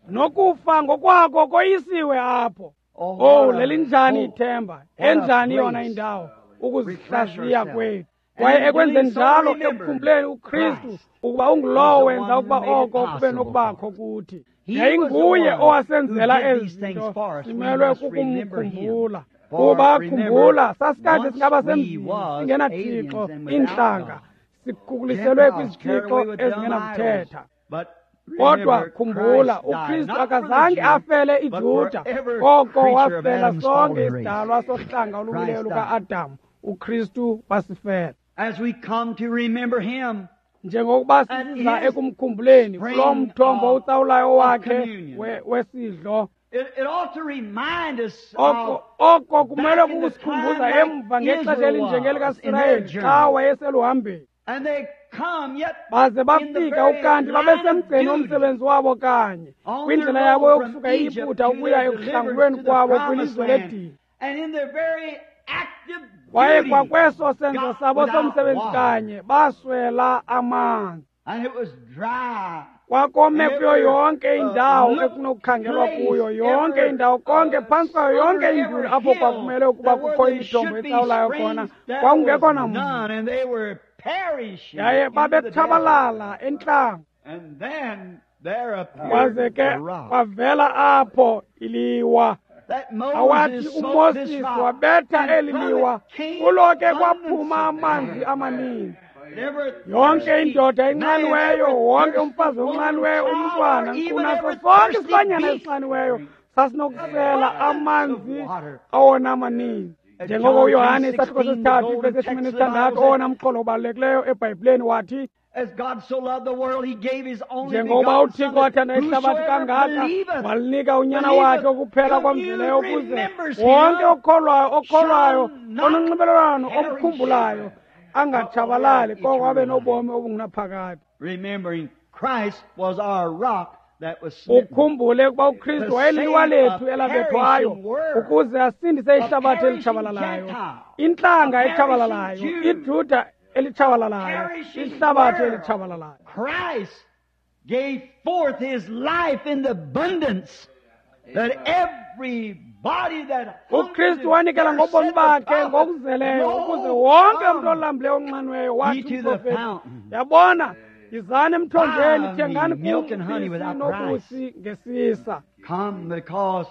Nokufa ngokwako koyisiwe apho. Oh, Oh, what a lelinjani hope. ithemba, What a enjani yona place. indawo Refresh ukuzihlaziya ourselves. kwethu. And Kwaye in doing ekwenzeni so, njalo remember ekukhumbuleni uKristu Christ ukuba was ungulowo the wenza one who ukuba made it oko kube possible for nokubakho us. kuthi. He was the Yayinguye one who owasenzela did ezi these things zinto, for us. We simelwe must remember him. kukumkhumbula. For Kuba remember, khumbula sasikade once singaba we semzini was singenaThixo, aliens and without iintlanga, God, sikhukuliselwe Gentiles carried kwizithixo away with dumb idols. ezingenakuthetha. But Kodwa remember, khumbula Christ died uKristu not for the akazange Jew, afele but for iJuda, every koko creature of wafela Adam's sonke fallen race. isidalwa sohlanga oluwileyo Christ died. luka-Adam. uKristu wasifela. As we come to remember him Njengokuba and siza his ekumkhumbuleni kuloo spring mthombo of, utsawulayo of wakhe communion. we- wesidlo, It, it ought to remind us oko of oko kumelwe back in the time kukusikhumbuza like emva ngexesha Israel was in their elinjengelikaSirayeli xa journey. wayeseluhambeni. And they come yet Baze in the bafika very ukanti line of babesemgceni duty womsebenzi wabo kanye on their kwindlela yabo road from yokusuka Egypt eYiputa to ukuya their ekuhlangulweni deliverance to the kwabo promised kwilizwe land. ledini. And in their very active Kwaye duty kwakweso senzo got sabo without somsebenzi water. kanye baswela amanzi. And it was dry. Kwakome kuyo Every yonke uh, indawo look ekunokukhangelwa place, kuyo, yonke every indawo konke uh, phantsi kwayo yonke under induli every apho hill kwakumele ukuba that where kukho there imithombo should be etsawulayo khona springs, there kwakungekho was namntu. none, and they were perishing Yaye in the desert. babetshabalala entlango. And then there Kwaze appeared ke a rock. kwavela apho iliwa. That Awathi Moses smote this uMoses rock, wabetha and eli from liwa, it came kulo ke abundance kwaphuma of amanzi water. amaninzi. And every Yonke thirsty indoda man, enxaniweyo, every wonke thirsty umfazi woman, onxaniweyo, child, or umntwana, even nkunaso every sonke thirsty isilwanyana beast, esinxaniweyo sasinokusela abundance of amanzi water. awona amaninzi. At Njengoko John uYohane three isahluko sixteen, the sesithathu golden ivesi text yeshumi of the nesithandathu Bible said, owona mxholo ubalulekileyo eBhayibhileni wathi, As God so loved the world, he gave his only njengoba begotten uThixo Son, that wathanda ihlabathi whosoever kangaka believeth, walinika unyana wakhe believeth, okuphela kwamzeleyo commune, ukuze remembers wonke him, okholwayo okholwayo shall not ononxibelelwano perish, omkhumbulayo but will have angatshabalali koko abe eternal life. nobomi obungunaphakade. Remembering Christ was our rock that was smitten. Ukhumbule ukuba uKristu To wayeliwa save a lethu elabethwayo perishing world, ukuze asindise a ihlabathi perishing elitshabalalayo, Gentile, intlanga a perishing etshabalalayo, Jew, iJuda elitshabalalayo, perishing ihlabathi world. elitshabalalayo. Christ gave forth his life in the abundance that everybody that hungered uKristu and wanikela thirsted, ngobomi said the bakhe prophet, ngokuzeleyo ukuze Lo, wonke umntu come olambileyo onxaniweyo ye wathi to the umprofeti, fountain. yabona, yizani emthonjeni, Buy thengani me milk kum and honey ubisi without price. nobusi ngesisa. Come because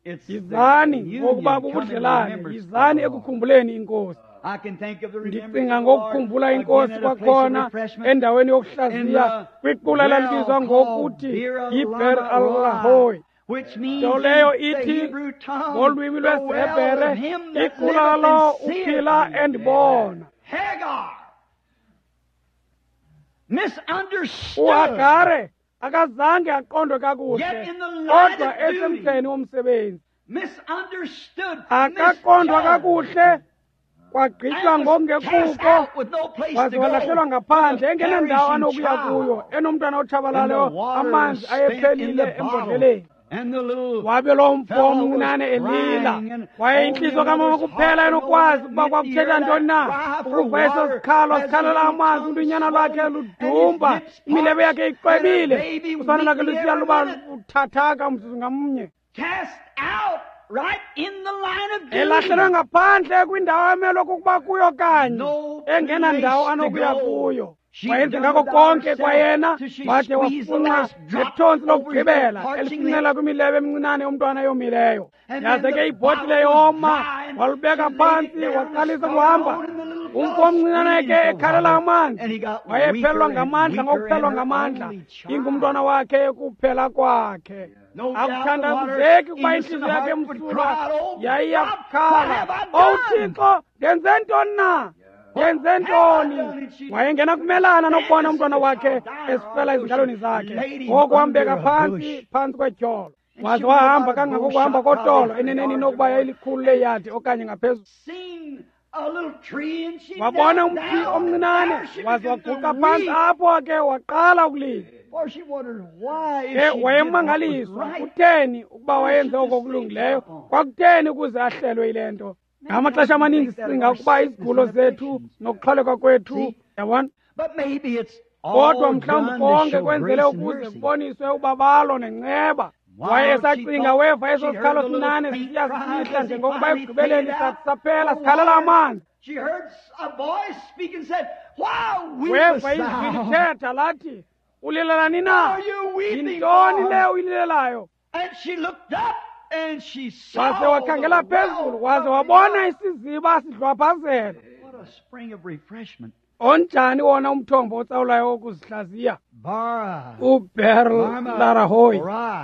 it's the Yizani ngokuba communion. Come in bubudlelane, remembrance of yizani the Lord. ekukhumbuleni iNkosi. I can think of the remembrance Ndicinga of the Lord ngokukhumbula again iNkosi at a place of kwakhona refreshment endaweni in yokuhlaziya the kwiqula well elalibizwa called ngokuthi Beer yiBer Lama Alahoy. Roi, which means Nto leyo in the ithi Hebrew tongue, ngolwimi the well of lwesiHebhere him that iqula liveth lalo and seeth uphila me. endibona. Hagar, misunderstood, uHagare akazange aqondwe kakuhle yet in the line kodwa of duty, esemgceni womsebenzi misunderstood, akaqondwa misjudged, kakuhle Kwagqitywa ngokungekuko, waze walahlelwa ngaphandle engenandawo anokuya kuyo, enomntwana otshabalaleyo, amanzi ayephelile embodleleni. Wabe loo mfo omncinane elila. Kwaye intliziyo kamama kuphela enokwazi ukuba kwakuthetha ntoni na ukuva eso sikhalo sikhalela amanzi, ulunyana lwakhe ludumba, imilebe yakhe iqwebile, usana lwakhe lusiya luba buthathaka umzuzu ngamnye. Elahlelwe ngaphandle kwindawo emelwe kukuba kuyo kanye, engenandawo anokuya kuyo. Wayenze ngako konke kwayena, wade wafunxa ngethontsi lokugqibela elifunxela kwimilebe emincinane yomntwana eyomileyo. Yaze ke ibhotile yoma, walubeka phantsi, waqalisa ukuhamba. Umfo omncinane ke ekhalela amanzi, wayephelelwa ngamandla ngokuphelelwa ngamandla, ingumntwana wakhe kuphela kwakhe. Akuthandabuzeki ukuba intliziyo yakhe emsulwa yayiyakukhala, "Owu Thixo, ndenze ntoni na? Ndenze ntoni?" Wayengena kumelana nokubona umntwana wakhe esifela ezingalweni zakhe. Ngoko wambeka phantsi phantsi kwetyholo, waze wahamba kangangokuhamba kotolo, eneneni inokuba yayilikhulu leyadi okanye ngaphezulu. Wabona umthi omncinane, waze waguqa phantsi apho ke waqala ukulila. Ke wayemangaliswa kutheni ukuba wayenze oko kulungileyo, kwakutheni ukuze ahlelwe yile nto. Ngamaxesha amaninzi sicinga ukuba izigulo zethu nokuxhwaleka kwethu, yabona, kodwa mhlawumbi konke kwenzele ukuze kuboniswe ubabalo nenceba. Wayesacinga weva eso sikhalo sinane sisiya sisihla njengokuba ekugqibeleni saphela sikhalela amanzi. Weva izwi lithetha lathi, "Ulilela na? Yintoni le uyililelayo?" Waze wakhangela phezulu, waze wabona isiziba sidlwaphazela. Onjani wona umthombo otsawulayo wokuzihlaziya? UBeerlahai,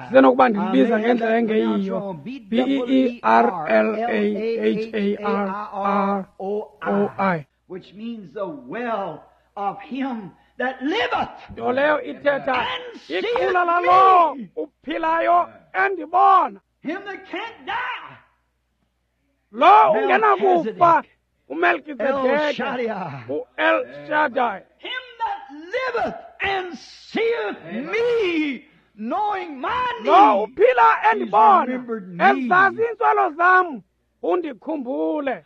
sisenokuba ndilibiza ngendlela engeyiyo, B E E R L A H A R R O I, which means the well of him that liveth. Nto leyo ithetha iqula lalowo uphilayo endibona. Him that can't die. Lo ungenakufa, uMelkizedeke, u-El Shaddai. Him that liveth and seeth me, knowing my need. Lo uphila endibona, ezazi iintswelo zam, undikhumbule.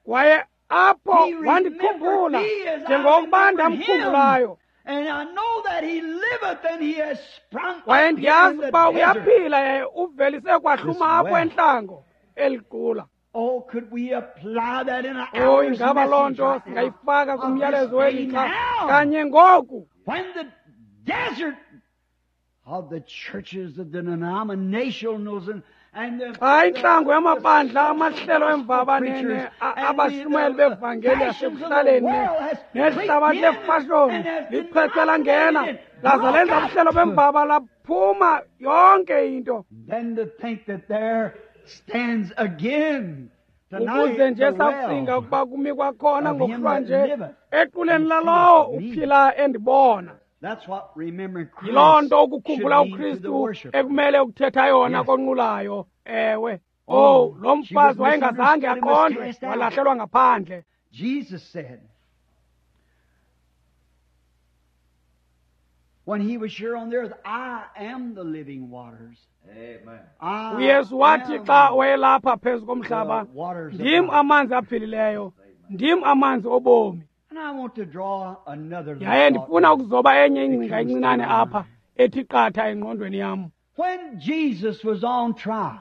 Kwaye apho wandikhumbula njengokuba ndamkhumbulayo. And I know that he liveth and he has sprung Kwaye up ndiyazi in the ukuba desert. uyaphila yaye uvelise kwahluma apho entlango eliqula. Oh, could we apply that in our Oh, ingaba loo message nto right now? singayifaka Of kumyalezo this day welixa now. kanye ngoku. When the desert of the churches, of the denominationals, and, and the, Xa intlango the, yamabandla amahlelo the emvabanene preachers a- and abashumayeli the, the bevangeli fashions of the yasekuhlaleni world has nehlabathi creeped in lefashoni and has lichwechwe langena denominated, laza broke lenza up. ubuhlelo bemvaba laphuma yonke into. Then to think that there stands again tonight Ukuze nje the sakucinga well ukuba kumi kwakhona of him ngokuhlwa that nje liveth equleni and lalowo seeth me. uphila endibona. That's what remembering Christ Yiloo nto should ukukhumbula mean to the uKristu worshiper. ekumele ukuthetha yona Yes. konqulayo. Ewe. Oh, Oh, lo she was mfazi wayengazange misunderstood and was aqondwe, cast out. walahlelwa ngaphandle. Jesus said, when he was here on the earth, I am the living waters. Amen. I uYesu wathi am xa wayelapha phezu komhlaba, the waters of ndim life. amanzi aphilileyo, ndim amanzi obomi. And I want to draw another little Yaye thought ndifuna now. ukuzoba enye ingcinga comes to encinane my apha mind. ethi qatha engqondweni yam. When Jesus was on trial,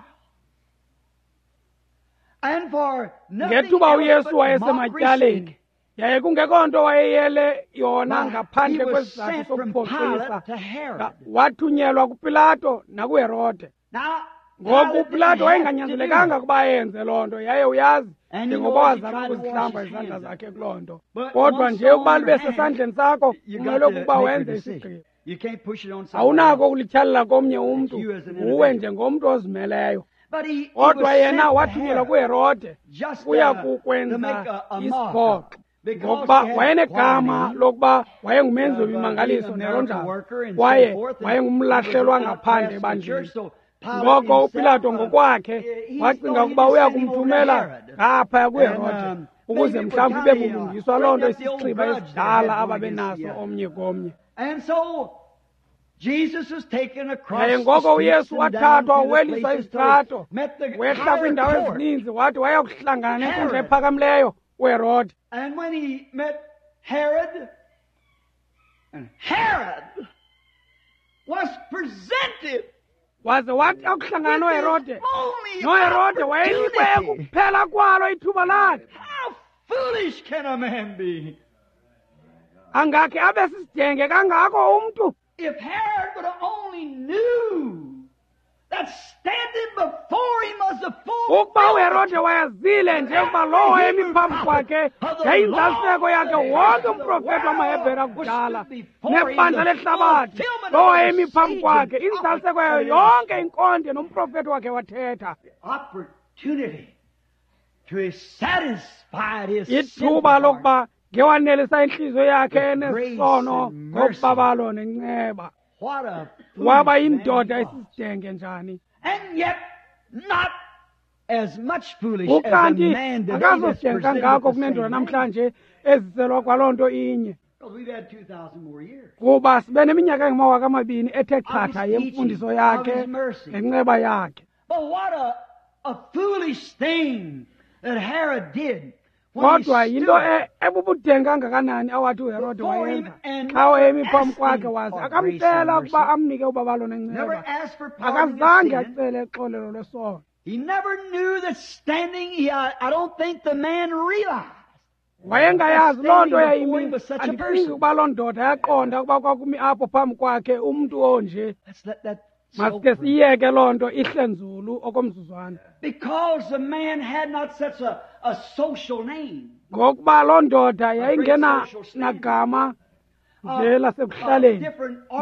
and for nothing Ngethuba else uYesu but wayesematyaleni, mockery's sake, yaye kungekho nto wayeyele yona Why, ngaphandle he was kwesizathu sent from sokuphoxisa, Pilate to Herod. Nga- wathunyelwa kuPilato nakuHerode. Now, Ngoku Pilate didn't uPilato have to do wayenganyanzelekanga it. ukuba ayenze loo nto, yaye uyazi And you njengoba know, as he wazama tried to wash ukuzihlamba his izandla hands zakhe kuloo nto. But Kodwa once nje ukuba on libe your hand, sesandleni sakho, you kumele got to ukuba make your wenze decision. isigqibo. You can't push it on somebody Awunako else. ukulityhalela komnye umntu, you as an nguwe individual. njengomntu ozimeleyo. But he, he Kodwa was yena sent to wathunyelwa Herod kuHerode just kuya uh, to kukwenza make a, a mock isiphoxo, because ngokuba he had wayenegama quite a name lokuba wayengumenzi of, uh, being wemimangaliso a njalo miracle njalo, worker and kwaye so forth, and wayengumlahlelwa he was an ngaphandle outcast in the church, ebandleni. so Ngoko uPilato ngokwakhe wacinga ukuba uya kumthumela ngaphaya kuHerode ukuze mhlawumbi ibe bulungiswa loo nto isixhiba esidala ababenaso omnye komnye. Yaye ngoko uYesu wathathwa weliswa isitrato, wehla kwiindawo ezininzi, wathi waya kuhlangana nenkundla ephakamileyo uHerode. Herod, and Herod was presented. Waze wathi akuhlangana noHerode, noHerode wayenikwe ekuphela kwalo ithuba lakhe. How foolish can a man be? Angakhe abe sisidenge kangako umntu? If Herod would have only knew that standing before him was the full ukuba uHerode wayazile nje ukuba lowo emi phambi kwakhe yayinzaliseko yakhe wonke umprofeti wamaHebhere akudala nebandla lehlabathi, lowo emi phambi kwakhe inzaliseko yayo yonke inkonde nomprofeti wakhe wathetha. Ithuba lokuba ngewanelisa intliziyo yakhe enesono ngobabalo nenceba. Waba yindoda esisidenge njani? Ukanti akazosidenge kangako kunendoda namhlanje eziselwa kwaloo nto inye, kuba sibe neminyaka engamawaka amabini ethe chatha yemfundiso yakhe nenceba yakhe. Kodwa yinto ebubudenge kangakanani awathi uHerode wayenza xa wayemi phambi kwakhe, waze akamcela ukuba amnike ubabalo nenceba. Akazange acele uxolelo lwesono. Wayengayazi loo nto yayimi. Andicingi ukuba loo ndoda yaqonda ukuba kwakumi apho phambi kwakhe umntu onje. Masike siyeke loo nto ihle nzulu okomzuzwana. Because the man had not such a, a social name. Ngokuba loo ndoda yayingena nagama nje lasekuhlaleni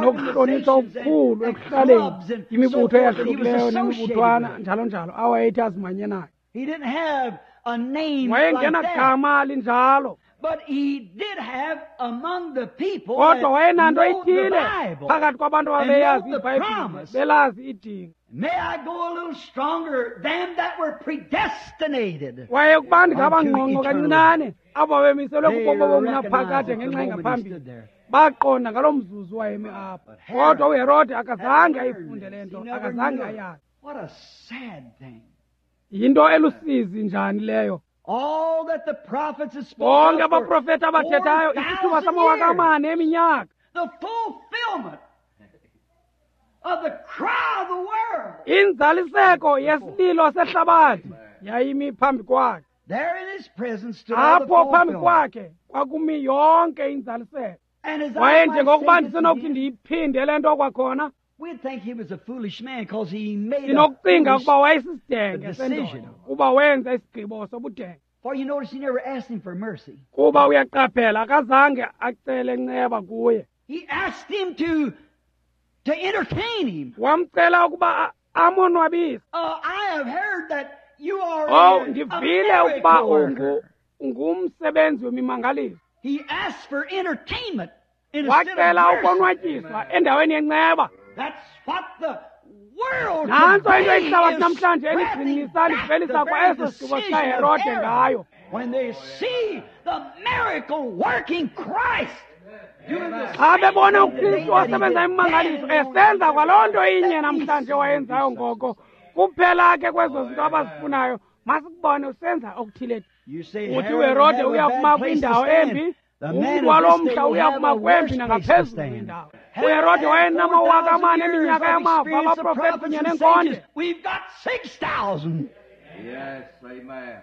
nokuhlonitshwa okukhulu ekuhlaleni, imibutho eyahlukileyo nemibuthwana njalo njalo awayethi azimanye nayo. He didn't have a name wayengena like that. Gama linjalo. But he did have among the people kodwa wayenanto that know the ithile Bible phakathi kwabantu and ababeyazi know the iBhayibhile promise. belazi idinga. May I go a little stronger than that were predestinated. Waye kuba ndingaba unto ngqongqo eternal kancinane abo babemiselwe They kubomi obungunaphakade recognized ngenxa the moment he engaphambili stood there. baqonda ngaloo mzuzu wayemi apho. But Herod Kodwa uHerode akazange had learned ayifunde le this. nto, He never akazange knew it. ayazi. What a sad thing. Yinto elusizi njani leyo? All that the prophets had spoken Bonke of for abaprofeti abathethayo isithuba four thousand samawaka years. amane eminyaka, The fulfillment of the cry of the world. inzaliseko yesililo sehlabathi yayimi phambi kwakhe. There in his presence stood all the Apho phambi fulfillment. kwakhe kwakumi yonke inzaliseko. And as I Waye might njengokuba say this ndisenokuthi again, ndiyiphinde le nto kwakhona, we'd think he was a foolish man because he made a sinokucinga foolish ukuba wayesisidenge decision. sendoda kuba wenza isigqibo sobudenge. For you notice he never asked him for mercy. Kuba uyaqaphela akazange acele nceba kuye. He asked him to to entertain him. Wamcela ukuba a- amonwabise. Uh, I have heard that you are Oh, a, a ndivile ukuba miracle ungu worker. ungumsebenzi wemimangaliso. He asked for entertainment instead of Wacela mercy. ukonwatyiswa endaweni yenceba. That's what the world Nantso into today ihlabathi is namhlanje scrapping eligcinisa back livelisa the kwa very eso sigqibo decision of sikaHerode Herod. ngayo. When they see the miracle working Christ doing the Xa same bebona thing today uKristu that he osebenza did imimangaliso then, esenza kwaloo nto inye let me namhlanje see wayenzayo you do ngoko, kuphela ke kwezo zinto abazifunayo masikubone usenza okuthile. You say Uthi Herod uHerode have a uya bad kuma place to kwindawo stand. embi, The man umntu of walo this day mhla will uya have kuma a kwembi worse place to nangaphezulu stand. kwindawo. Herod uHerode had wayenamawaka four thousand amane years eminyaka of yamava experience of abaprofeti prophets kunye and nenkonde. sages. We've got six thousand. Yes, amen.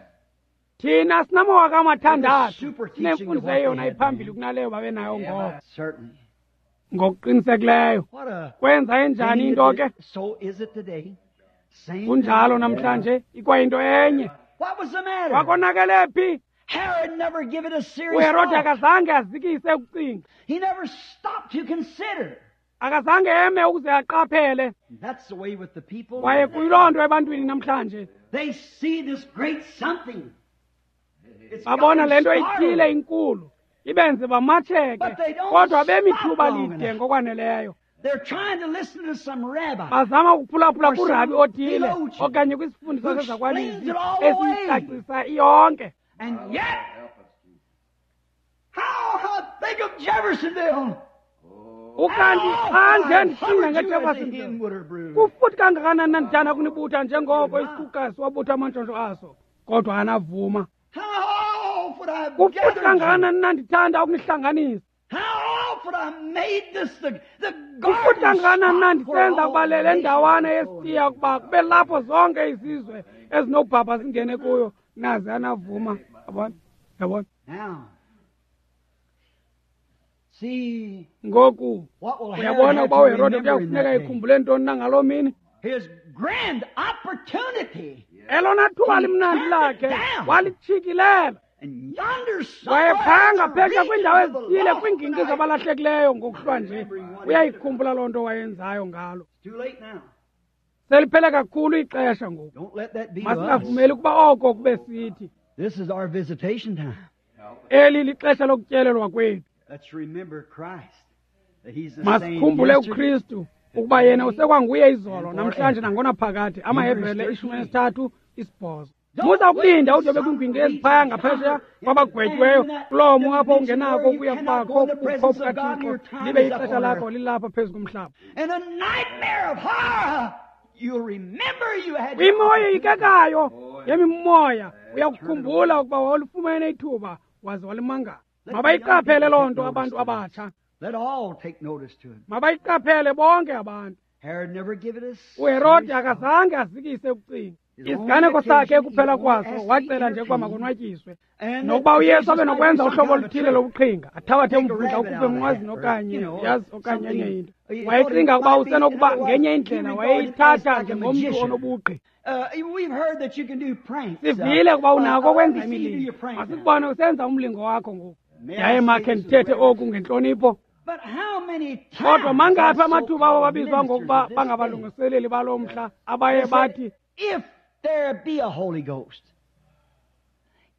Thina sinamawaka amathandathu Super teaching of sinemfundiso what they eyona had iphambili then. kunaleyo babenayo ngoko. Certainly. Ngokuqinisekileyo. What a Kwenza enjani thing into it ke? is. So is it today. Same Kunjalo thing. namhlanje ikwayinto enye. What was the matter? Kwakonakele phi? Herod never give it a serious uHerode thought. akazange azikise ukucinga. He never stopped to consider. Akazange eme ukuze aqaphele. That's the way with the people. Kwaye kuyiloo nto ebantwini namhlanje. They see this great something. It's Babona got le nto them ithile startled. inkulu ibenze bamatsheke, But they don't kodwa bemi stop thuba long lide enough. ngokwaneleyo. They're trying to listen to some rabbi. Bazama ukuphulaphula Or kurabi some othile theologian okanye kwisifundiso who sezakwalizwi explains it all away. esiyicacisa iyonke. And yet, how I think of Jeffersonville. Ukanti xa nje ndicinga ngeJeffersonville, Hen would her brood. kufuthi kangakanani na ndithanda kunibutha njengoko isikhukhukazi wabutha amantshontsho aso, kodwa anavuma. How oft would I have Kufuthi gathered you? kangakanani na ndithanda ukunihlanganisa. How oft would I made this the, the Kufuthi garden kangakanani na spot where ndisenza all ukuba le the ndawana nations yesitiya ukuba kube lapho zonke izizwe ezinobhabha zingene kuyo, naze anavuma. Yabona? Yabona? Now, see Ngoku what will Herod uyabona have ukuba to uHerode remember in kuyakufuneka that day? ekhumbule ntoni na ngaloo mini? His grand opportunity. Elona thuba limnandi lakhe walitshikilela. And yonder somewhere Wayephanga in the phesha kwiindawo regions of the ezithile lost kwiingingqi tonight. zabalahlekileyo ngokuhlwa nje. Uyayikhumbula loo nto wayenzayo ngalo. It's too late now. Seliphele kakhulu ixesha ngoku. Don't let that be to us. Masingavumeli ukuba oko kube sithi. This is our visitation time. Eli lixesha lokutyelelwa kwethu. Let's remember Christ. That He's the same Masikhumbule yesterday, uKristu ukuba yena usekwanguye izolo namhlanje nangonaphakade. AmaHebhere ishumi elinesithathu isibhozo. Musa ukulinda ude ube kwiingingqi eziphaya ngaphesheya kwabagwetyiweyo kuloo mo apho ungenako ukuya kubakho kubukho bukaThixo libe ixesha lakho lilapha phezu komhlaba. And a nightmare of horror. You'll remember you had your Kwimo opportunity. eyikekayo yemimoya uyakukhumbula ukuba wawulifumene ithuba waze walimangala. Mabayiqaphele loo nto abantu abatsha. Let all take notice to it. Mabayiqaphele bonke abantu. Herod never give it a uHerode serious thought. akazange azikise ukucinga. Isiganeko sakhe ekuphela kwaso wacela nje ukuba makonwatyiswe And nokuba that uYesu Jesus abe might do nokwenza some uhlobo kind of a oluthile trick. lobuqhinga, athabathe Take a umvundla rabbit ukhuphe out of the emnqwazini hat, or, okanye you know, yazi okanye enye something. into. He thought Wayecinga it ukuba might be, in usenokuba other words, ngenye he indlela regarded as wayeyithatha like a njengomntu magician. onobugqi. Uh, we've heard that you can do pranks. Uh, Sivile ukuba uh, unako uh, ukwenza let me see you do imilingo. your prank now. Masikubone usenza umlingo wakho ngoku. May I Yaye say makhe this with ndithethe reverence? oku ngentlonipho. But how many times Kodwa mangaphi have amathuba abo so-called babizwa ministers ngokuba of this day bangabalungiseleli baloo mhla abaye They said, bathi if there be a Holy Ghost,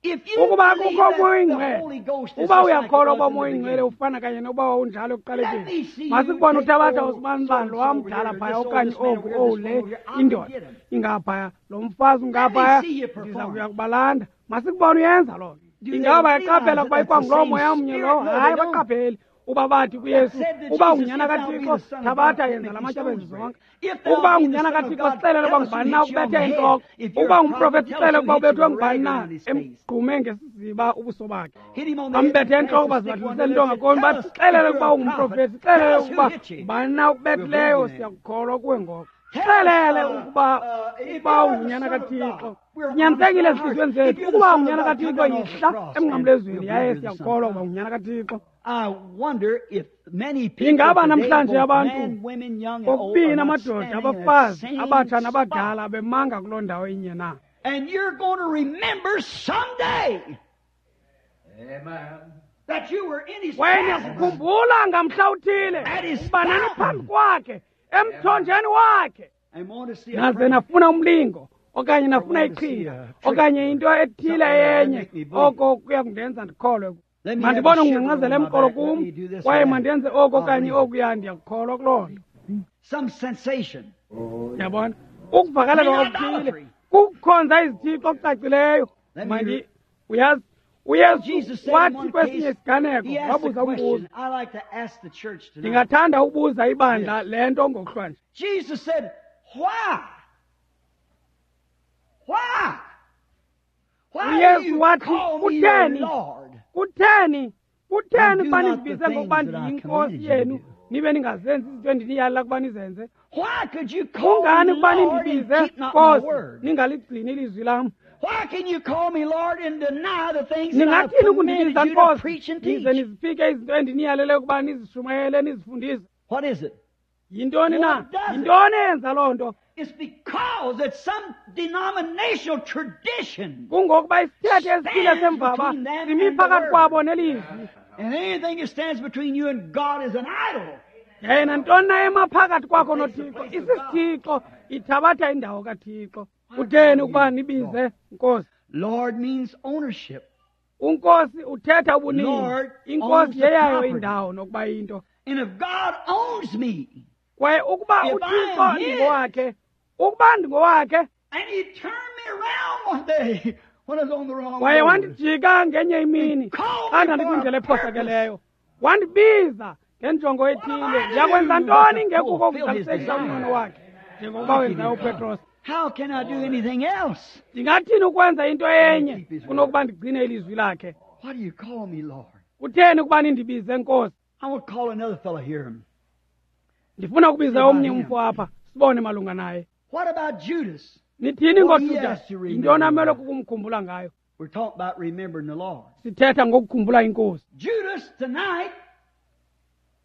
if you ukuba believe kukho that uMoya the oyiNgcwele, Holy Ghost is uba just like it uyakholwa was uba in the uMoya oyiNgcwele beginning, ufana kanye nokuba wawunjalo ekuqalekeni, Let me see you masikubone take uthabatha old usibanibani so-and-so lo over wamdala here, phaya this old okanye this man oku over here, owu this le one over here. I'll indoda get him. ingaphaya, lo mfazi ungaphaya, Let me see you ndiza perform. kuya kubalanda. Masikubone uyenza loo nto. Do they Ingaba realize bayaqaphela that ukuba that's the ikwanguloo same moya mnye spirit? lowo? No, they Hayi, don't. baqapheli. Uba bathi kuYesu, Said to uba Jesus, ungunyana if thou be kaThixo, the Son of God, thabatha make yenza la these matye stones abe bread. zonke. If thou Ukuba be the ungunyana Son of kaThixo, God, sixelele tell uba us who ngubani na hit you on ukubethe the head. intloko. If you're Ukuba a ungumprofeti, prophet, tell sixelele us who ukuba hit you ubethwe with a ngubani rag na around his face. emgqume ngesiziba ubuso bakhe. Hit him on the head Bambethe and pass entloko the stick one bazibadlulisela to into the other. ngakumbi Tell bathi us if sixelele you're ukuba a prophet. ungumprofeti, sixelele Tell us who ukuba hit you. ngubani na We'll believe ukubethileyo, you then. siyakukholwa kuwe ngoko. Tell us, Sixelele uh, ukuba uh, if ukuba you are the ungunyana Son of kaThixo. God, we're honest Sinyanisekile in our hearts. ezintliziyweni If zethu. you're the Ukuba Son of ungunyana God, come kaThixo, down off the yihla cross and emnqamlezweni we'll yaye believe you're the Son of siyakukholwa ukuba God. ungunyana kaThixo. I wonder if many people Ingaba today, namhlanje both abantu men, women, young and old, are kokubini not amadoda, standing in that abafazi, same abatsha spot. nabadala bemanga kuloo ndawo inye na? And you're going to remember someday Amen. that you were in his Kwaye presence. niyakukhumbula ngamhla uthile At his ukuba fountain. naniphambi kwakhe emthonjeni wakhe And want to see a naze prank. nafuna umlingo okanye nafuna I want to see iqhinga a trick okanye into ethile Something that'll yenye make me believe. oko kuya kundenza ndikholwe. Let me have a Mandibone shiver ungcangcazela on my emqolo back. Let kum me do this kwaye or that. mandenze oku I'll okanye believe it. okuya, ndiyakukholwa kuloo nto. Some sensation. Yabona, ukuvakalelwa Clean okuthile idolatry. kukukhonza izithixo okucacileyo. Let me Mandi re- uyazi uYesu Jesus said in wathi one kwesinye case, isiganeko he asked a wabuza umbuzo. question. I like to ask the church tonight. Ndingathanda ukubuza ibandla le nto ngokuhlwa nje. Jesus said, why? Why? Why do uYesu you wathi, call me your kutheni Lord? kutheni kutheni And do ukuba not the nindibize things ngokuba that I ndiyinkosi commanded you to yenu do. nibe ningazenzi izinto endiniyalela ukuba nizenze? Why could you call Kungani me ukuba Lord and nindibize keep not my Nkosi word? ningaligcini ilizwi lam? Why can you call me Lord and deny the things that I've Ningathini commanded ukundibiza you to Nkosi preach and nize teach? niziphike izinto endiniyalele ukuba nizishumayele nizifundise? What is it? Yintoni na? What does it? Yintoni eyenza loo nto? It's because that some denominational tradition Kungokuba isithethe esithile stands semvaba between them simi and the phakathi word. kwabo nelizwi. And anything that stands between you and God is an idol. Yaye nantoni na ema phakathi kwakho noThixo isisithixo, ithabatha indawo kaThixo. Kutheni ukuba nibize Nkosi? Lord means ownership. Unkosi uthetha ubunini. Lord owns Inkosi the yeyayo property. indawo nokuba into. And if God owns me, Kwaye ukuba uThixo ndingowakhe, ukuba ndingowakhe, and he turned me around one day when I was on the wrong kwaye road. Wandijika ngenye imini xa ndandikwindlela ephosakeleyo, wandibiza ngenjongo ethile. Ndiyakwenza ntoni ngekuko ukuzalisekisa umnqweno wakhe njengokuba wenzayo uPetros? How can I do anything else? Ndingathini ukwenza into enye kunokuba ndigcine ilizwi lakhe? Why do you call me Lord? Kutheni ukuba nindibize Nkosi? I will call another fellow here. Ndifuna ukubiza omnye umfo apha sibone malunga naye. What about Judas? Nithini ngoJudas? Yintoni amele kukumkhumbula ngayo? We're talking about remembering the Lord. Sithetha ngokukhumbula inkosi. Judas tonight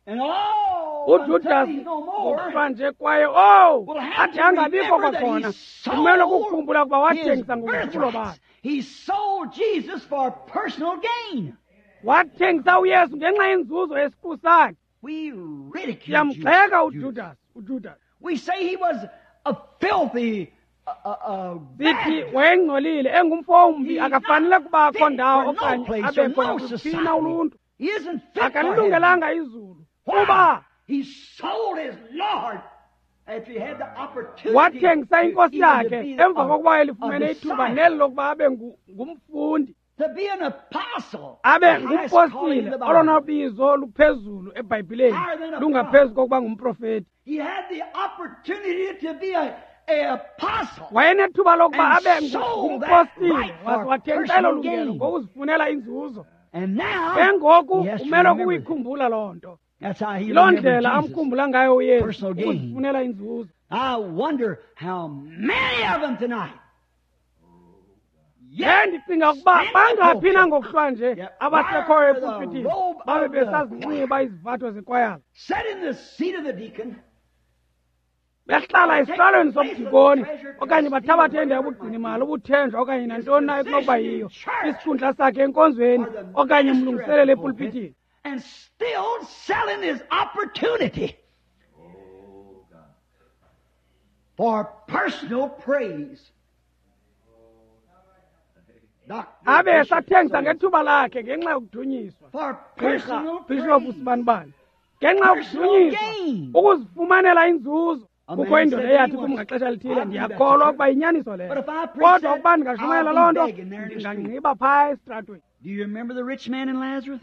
and all uJudas ngokuhlwa kwaye oh athi angabikho kwakhona, kumele ukukhumbula ukuba wathengisa ngobukhulu bakhe. He sold Jesus for personal gain. Wathengisa uYesu ngenxa yenzuzo yesiqu sakhe. We ridicule Siyamgxeka uJudas, uJudas. We say he was a filthy sithi wayengcolile, engumfo ombi, akafanele kubakho ndawo okanye abekho kuphina uluntu. Akalilungelanga izulu. Kuba he sold his Lord if he had the opportunity. Wathengisa inkosi yakhe emva kokuba elifumene ithuba neli lokuba abe ngumfundi, to be an apostle, abe ngumpostile, olona bizo luphezulu eBhayibhileni lungaphezu kokuba ngumprofeti. He had the opportunity to be a apostle. Wayenethuba lokuba abe ngumpostile, waze wathengisa elo lungelo ngokuzifunela inzuzo. And now ke ngoku umele ukuyikhumbula loo nto. That's how he Yiloo ndlela amkhumbula ngayo uYesu, ukuzifunela inzuzo. I wonder how many of them tonight. Ye ndicinga ukuba bangaphi na ngokuhlwa nje abasekhoyo epulpitini babe besazinxiba izivatho zekwayala, Sat in the seat of the deacon, behlala esihlalweni sobudikoni okanye bathabathe indawo yobugcinimali, ubuthenjwa okanye nantoni na ekunokuba yiyo, isikhundla sakhe enkonzweni okanye umlungiseleli epulpitini, and still selling his opportunity for personal praise. Abe esathengisa ngethuba lakhe ngenxa yokudunyiswa. For personal Bishop uSibanibani, ngenxa yokudunyiswa, ukuzifumanela inzuzo. Kukho indoda eyathi kum ngaxesha elithile, ndiyakholwa ukuba yinyaniso leyo, kodwa ukuba ndingashumayela loo nto ndingangqiba phaa esitratweni. Do you remember the rich man in Lazarus?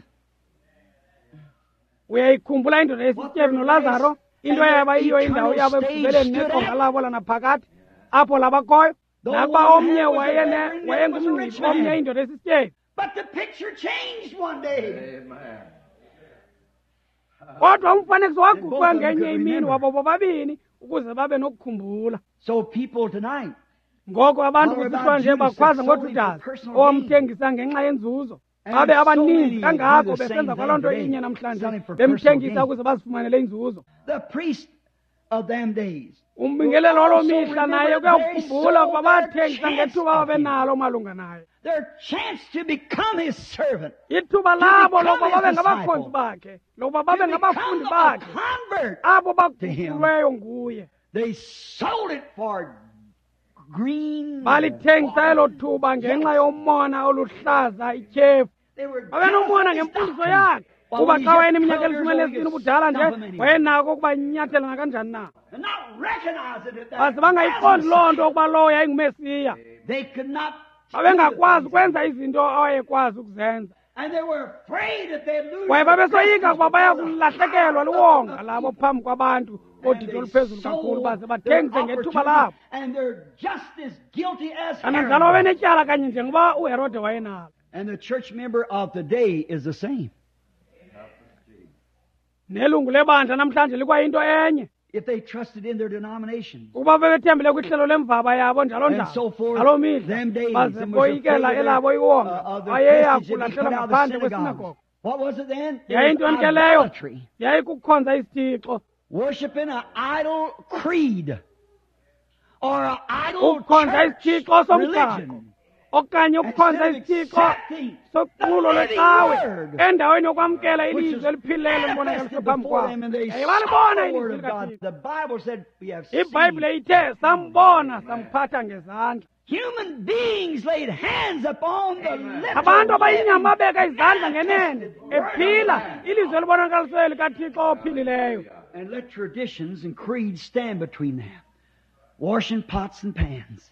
Uyayikhumbula indoda esisityebi noLazaro, into eyaba yiyo indawo yabo ekugqibeleni neqonga labo lanaphakade apho labakhoyo? Nakuba omnye wayengumngcibi, omnye indoda esisityebi. But the picture changed one day. Amen. Kodwa umfanekiso waguqwa ngenye imini wabo bobabini ukuze babe nokukhumbula. So people tonight, ngoko abantu kusihlwa nje bakhwaza ngoJudas owamthengisa ngenxa yenzuzo. Babe abaninzi kangako besenza kwaloo nto inye namhlanje, bemthengisa ukuze bazifumanele inzuzo. The priest of them days, Umbingelelo waloo mihla naye uyakukhumbula ukuba bathengisa ngethuba ababenalo malunga naye. Their chance to become his servant, Ithuba labo lokuba babe ngabakhonzi bakhe, lokuba babe ngabafundi bakhe, abo baguqulweyo nguye. They sold it for green. Balithengisa elo thuba ngenxa yomona oluhlaza ityhefu. Babenomona ngemfundiso yakhe. Kuba xa wayeneminyaka elishumi elinesibini ubudala nje, wayenako ukuba inyathela nakanjani na. Baze bangayiqondi loo nto ukuba lowo yayinguMesiya. Babengakwazi ukwenza izinto awayekwazi ukuzenza. Kwaye babesoyika ukuba baya kulahlekelwa liwonga labo phambi kwabantu bodidi oluphezulu kakhulu, baze bathengise ngethuba labo. Kananjalo babenetyala kanye njengoba uHerode wayenalo. And the church member of today is the same. Nelungu lebandla namhlanje likwayinto enye. If they trusted in their denomination, Ukuba bebethembele kwihlelo lemvaba yabo njalo and njalo so forth, ngaloo mihla, them days, baze and was boyikela afraid of elabo their, iwonga, uh, of their wayeya prestige and be kulahlelwa put out of the ngaphandle synagogues. kwesinagogo. What was it then? It was Yayintoni ke leyo? idolatry. Yayikukhonza isithixo, Worshiping an idol creed or an idol ukukhonza church isithixo somgaqo religion. okanye ukukhonza Instead of isithixo accepting soqulo the living lwecawe word, endaweni yokwamkela which ilizwi is eliphilileyo libonakaliswe manifested phambi before kwabo. them, and they Yaye saw balibona the word ilizwi of God. likaThixo. The Bible said, we have seen. IBhayibhile ithe sambona samphatha ngezandla. Human beings laid hands upon the Abantu literal abayinyama living babeka izandla ngenene ephila ilizwi elibonakalisweyo likaThixo ophilileyo. And let traditions and creeds stand between them. Washing pots and pans.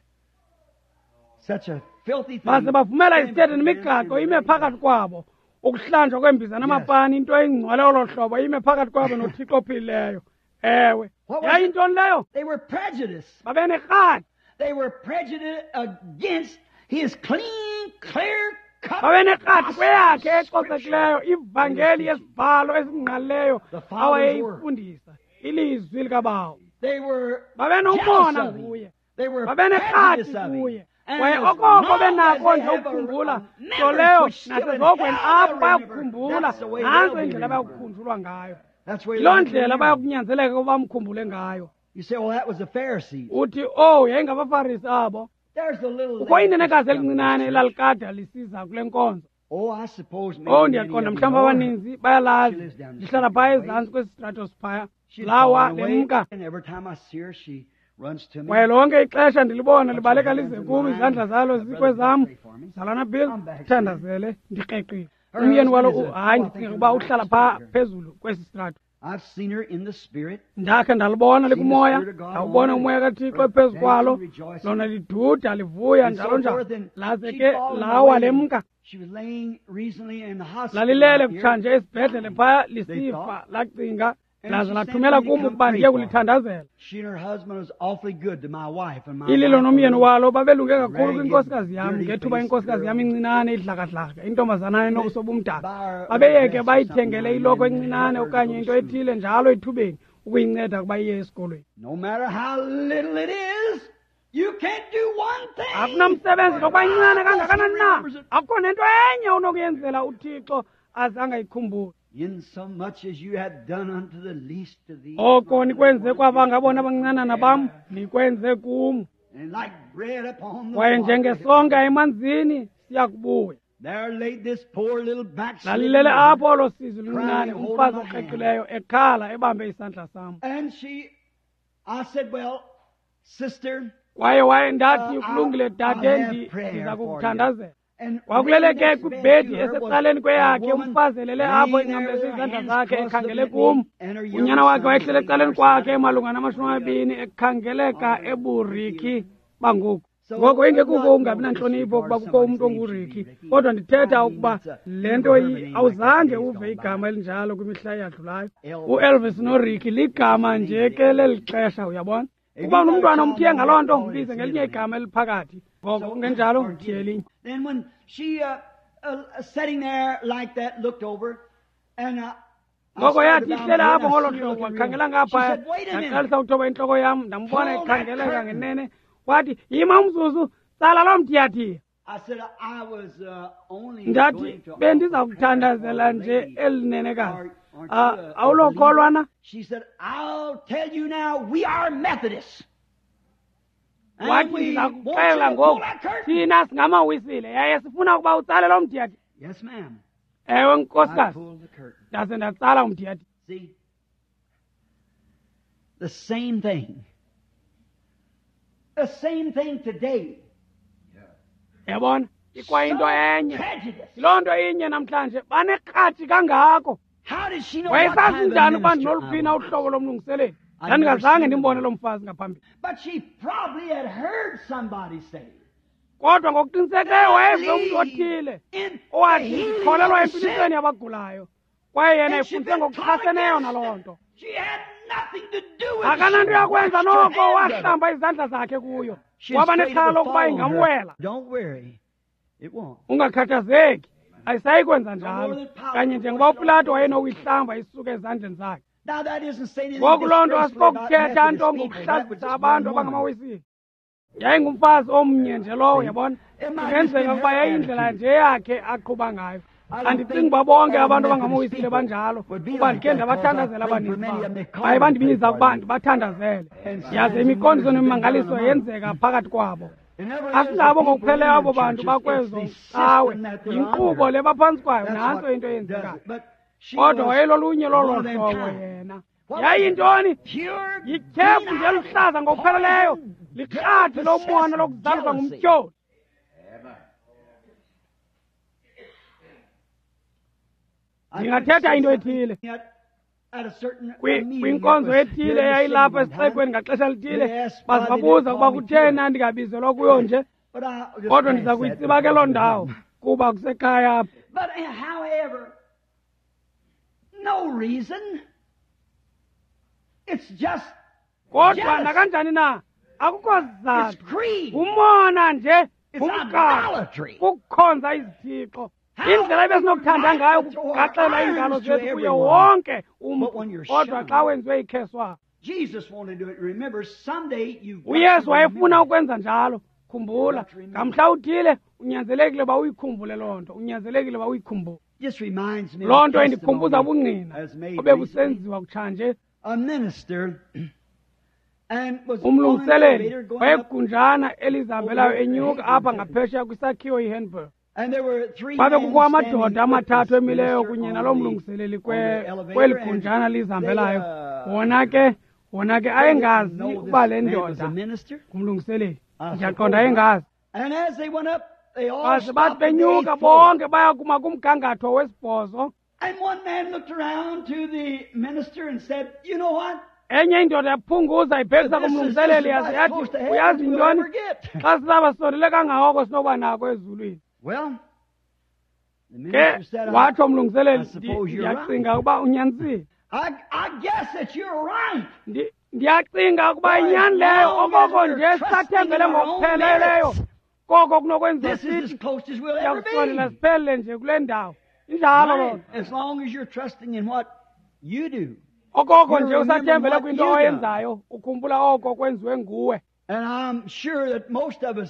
Such a filthy thing. Baze bavumela izithethe nemigaqo ime phakathi kwabo. Ukuhlanjwa kwembiza namapani into engcwele olo hlobo ime phakathi kwabo noThixo ophilileyo. Ewe. Yayintoni leyo? They were prejudiced. Babenerhadi. They were prejudiced against his clean, clear cut. Babenerhadi kweyakhe ecocekileyo ivangeli yesibhalo esingqalileyo awayeyifundisa ilizwi likaBawo. They were babenomona kuye. They were babenerhadi kuye. Kwaye okoko benako nje ukukhumbula nto leyo nasezogweni apho bayakukhumbula. Nantso indlela abayakukhunjulwa ngayo. Yiloo ndlela bayakunyanzeleka ukuba bamkhumbule ngayo. You say, well, that was the Pharisees. Uthi, oh, yayingabaFarisi abo. There's the little Kukho inenekazi elincinane elalikade lisiza kule nkonzo. Oh, I suppose maybe Oh, ndiyaqonda mhlawumbi abaninzi bayalazi. Lihlala phaya ezantsi kwesi stratos phaya. Lawa lemka. And every time I see her, she runs to me. Kwaye lonke ixesha ndilibona libaleka lize kum, izandla zalo zikwezam. Zalana Bill, thandazele, ndikreqile. Umyeni walo, hayi, ndicinga ukuba uhlala phaa phezulu kwesi strato. I've seen her in the spirit. Ndakhe ndalibona likumoya, ndawubona umoya kaThixo ephezu kwalo, lona liduda livuya njalo njalo. Laze ke lawa lemka. She was laying recently in the hospital. Lalilele kutshanje esibhedlele phaya lisifa, lacinga, laze lathumela kum ukuba ndiye kulithandazela. She and her husband was awfully good to my wife and my Ililo nomyeni walo babelunge kakhulu kwinkosikazi yam ngethuba inkosikazi yam incinane idlakadlaka, intombazana enobuso obumdaka. Babeyeke bayithengele iloko encinane okanye into ethile njalo ethubeni ukuyinceda ukuba iye esikolweni. No matter how little it is, you can't do one thing. Akunamsebenzi nokuba incinane kangakanani na, akukho nento enye onokuyenzela uThixo aze angayikhumbuli. In so much as you have done unto the least of these. Oko nikwenze kwaba ngabona abancinanana bam, nikwenze kum. And like bread upon the Kwaye water, njengesonka emanzini siyakubuya. There laid this poor little backslidden Lalilele apho olo sizi luncinane, crying, holding umfazi my hand. okreqileyo ekhala ebambe isandla sam. And she, I said, well, sister, Kwaye waye ndathi, Uh, kulungile I'll dade, have ndi- prayer ndiza for you. kukuthandazela. And Kwakulele ke laying next kwibhedi bed to her was esecaleni a kweyakhe, woman umfazi elele apho laying there engqamleze with her izandla hands zakhe crossed ekhangele looking at kum. me, and her young Unyana wakhe son wayehlele was ecaleni laying kwakhe beside malunga namashumi amabini ekhangeleka eburiki bangoku. So, Ngoko ingekuko not ungabi no nantlonipho ukuba disregard kukho umntu somebody's name onguriki, should be Ricky. kodwa ndithetha I mean, ukuba it's a le nto never heard of a name like that awuzange in days uve gone by. igama elinjalo kwimihla eyadlulayo. Elvis. UElvis noRicky ligama nje ke leli xesha, uyabona. If Ukuba you got a unomntwana child umthiye named ngaloo nto, Paul, mbize it's ngelinye middle name. igama eliphakathi. Ngoko So, kungenjalo or mthiye elinye. Then when she uh, uh, sitting there like that, looked over, and uh, I Ngoko started yathi to bow ihlele my head, apho I ngolo see her hlobo, looking real. wakhangela She ngaphaya, said, "Wait a minute." ndaqalisa ukuthoba intloko yam, ndambona Pull that ekhangeleka curtain. ngenene. Wathi, yima umzuzu, tsala loo mthiyathiya. I said, I was uh, only Ndathi, going to offer bendiza prayer for kuthandazela the nje lady. eli nenekazi. Are- aren't Ah, you a- a awulokholwa na? believer? She said, I'll tell you now, we are Methodists. And Wathi, we ndiza want you kuxelela to pull ngoku, that curtain. thina singamawisile yaye sifuna ukuba utsale loo mthiyathiya. Yes, ma'am. Ewe, I nkosikazi, pulled the curtain. ndaze ndatsala umthiyathiya. See? The same thing. The same thing today. Yabona, ikwayinto So enye. prejudice. Yiloo nto inye namhlanje, banekratshi kangako. How did she know what Wayesazi kind of njani ukuba minister I ndinoluphi na was? uhlobo lomlungiseleli? I never Ndandingazange seen ndimbone him. loo mfazi ngaphambili. But she probably had heard somebody say, Kodwa ngokuqinisekileyo wayeve umntu othile in the owathi healing ndikholelwa of the sick. empilisweni yabagulayo, kwaye yena And she efundise been taught ngokuchaseneyo against naloo it. nto. She had nothing to do with it. Akananto She yakwenza washed her noko, hands of it. wahlamba izandla zakhe kuyo. She's Waba afraid it nexhala would lokuba fall on her. ingamwela. Don't worry. It won't. Ungakhathazeki, ayisayi kwenza No njalo. more than Pilate Kanye would njengoba wash it off uPilato the wayenokuyihlamba isuke ezandleni zakhe. Now that isn't saying anything Ngoku loo nto disgraceful about asikokuthetha nto Methodist people. That was ngokuhlazisa just abantu one woman. abangamawisile. Yayingumfazi omnye nje lowo, yabona. It might just Kungenzeka been ukuba her yayindlela attitude. nje yakhe aqhuba ngayo. I don't Andicingi think uba bonke all abantu Methodist abangamawisile people banjalo, would be kuba like ndikhe that, because I ndabathandazela prayed for abaninzi many of babo. them. They called Baye me to pray bandibiza for ukuba them. ndibathandazele, And yaze signs and wonders imiqondiso have been done nemimangaliso among them. yenzeka phakathi kwabo. It never is the Asingabo people in ngokupheleyo their abo bantu churches, it's bakwezo the cawe, system that they're yinkqubo under. le baphantsi kwayo, That's nantso what into does eyenzekayo. it. But she Kodwa was wayelolunye lolo one of them hlobo kind. yena. What was it? Yayintoni? Pure Yityhefu nje eluhlaza ngokupheleleyo, poison, likrathi lomona devil-possessed lokuzaliswa jealousy. ngumtyholi. I could Ndingathetha say into something ethile. that Kwinkonzo ethile eyayilapha esixekweni ngaxesha lithile, bazibabuza ukuba kutheni andingabizelwa kuyo nje. Kodwa ndiza kuyitsiba ke loo ndawo kuba kusekhaya apha. But however, no reason. It's just kodwa nakanjani na akukho sizathu. Umona nje, umgaqo, kukukhonza izithixo. Indlela ebesinokuthanda ngayo ukugaxela iingalo zethu kuye wonke umntu, kodwa xa wenziwe ikheswa. UYesu wayefuna ukwenza njalo. Khumbula, ngamhla uthile unyanzelekile uba uyikhumbule loo nto, unyanzelekile uba uyikhumbule. Loo nto indikhumbuza ubungqina obebusenziwa kutshanje. Umlungiseleli wayegunjana elizihambelayo enyuka apha ngaphesheya kwisakhiwo iHenberg. Kwabe kukho amadoda amathathu emileyo kunye naloo mlungiseleli kweli gunjana lizihambelayo. Wona ke wona ke ayengazi ukuba le ndoda ngumlungiseleli. Ndiyaqonda ayengazi. Baze bathi benyuka bonke baya kuma kumgangatho wesibhozo. Enye indoda yaphunguza ibhekisa kumlungiseleli yaze yathi, uyazi yintoni, xa silapha sisondele kangako sinokuba nako ezulwini. Ke watsho umlungiseleli, ndiyacinga ukuba unyanisile. Ndiyacinga ukuba inyani leyo, okoko nje sisathembele ngokupheleleyo koko kunokwenziwa sithi siyakusondela siphelele nje kule ndawo. Injalo loo nto. Okoko nje usathembele kwinto oyenzayo, ukhumbula oko kwenziwe nguwe.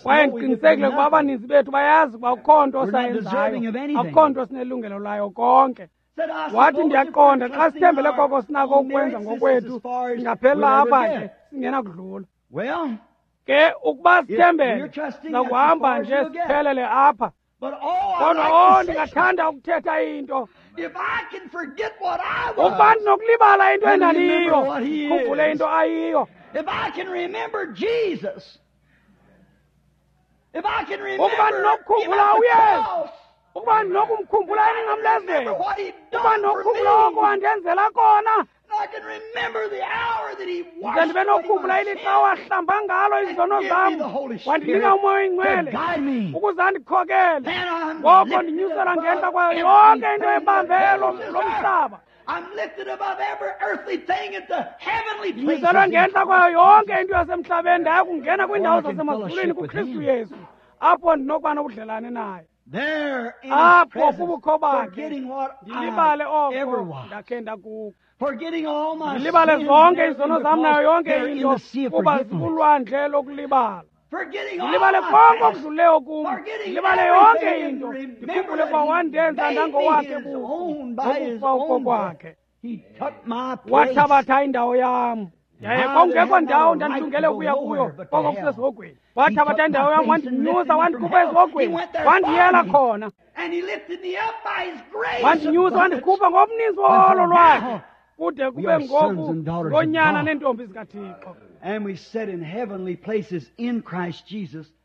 Kwaye ndiqinisekile ukuba abaninzi bethu bayazi ukuba akukho nto sayenzayo, akukho nto sinelungelo layo konke. Wathi ndiyaqonda xa sithembele koko sinako ukwenza ngokwethu, singaphelela apha ke singenakudlula. Ke ukuba sithembele, sizakuhamba nje siphelele apha. Kodwa oh, ndingathanda ukuthetha into. Ukuba ndinokulibala into endandiyiyo, khumbule into ayiyo. Ukuba ndinokukhumbula uYesu, ukuba ndinokumkhumbula emnqamlezweni, ukuba ndinokukhumbula oko wandenzela kona, ndize ndibe nokukhumbula ilixa wahlamba ngalo izono zam, wandinika uMoya oyiNgcwele ukuze andikhokele. Ngoko ndinyuselwa ngentla kwayo yonke into ebambe lo mhlaba. Ndinyuselwe ngentla kwayo yonke into yasemhlabeni, ndaya kungena kwiindawo zasemazulwini kuKristu Yesu, apho ndinokuba nobudlelane naye. Apho kubukho bakhe ndilibale oko ndakhe ndakuko. Ndilibale zonke izono zam nayo yonke into, kuba zikulwandle lokulibala. Ndilibale konke okudluleyo kum, ndilibale yonke into, ndikhumbule ukuba wandenza ndangowakhe buqu ngokufa okokwakhe. Wathabatha indawo yam, yaye kwakungekho ndawo ndandilungele ukuya kuyo koko kusesihogweni. Wathabatha indawo yam, wandinyusa, wandikhupha esihogweni, wandiyela khona. Wandinyusa, wandikhupha ngobuninzi woholo lwakhe, kude kube ngoku ngonyana neentombi zikaThixo.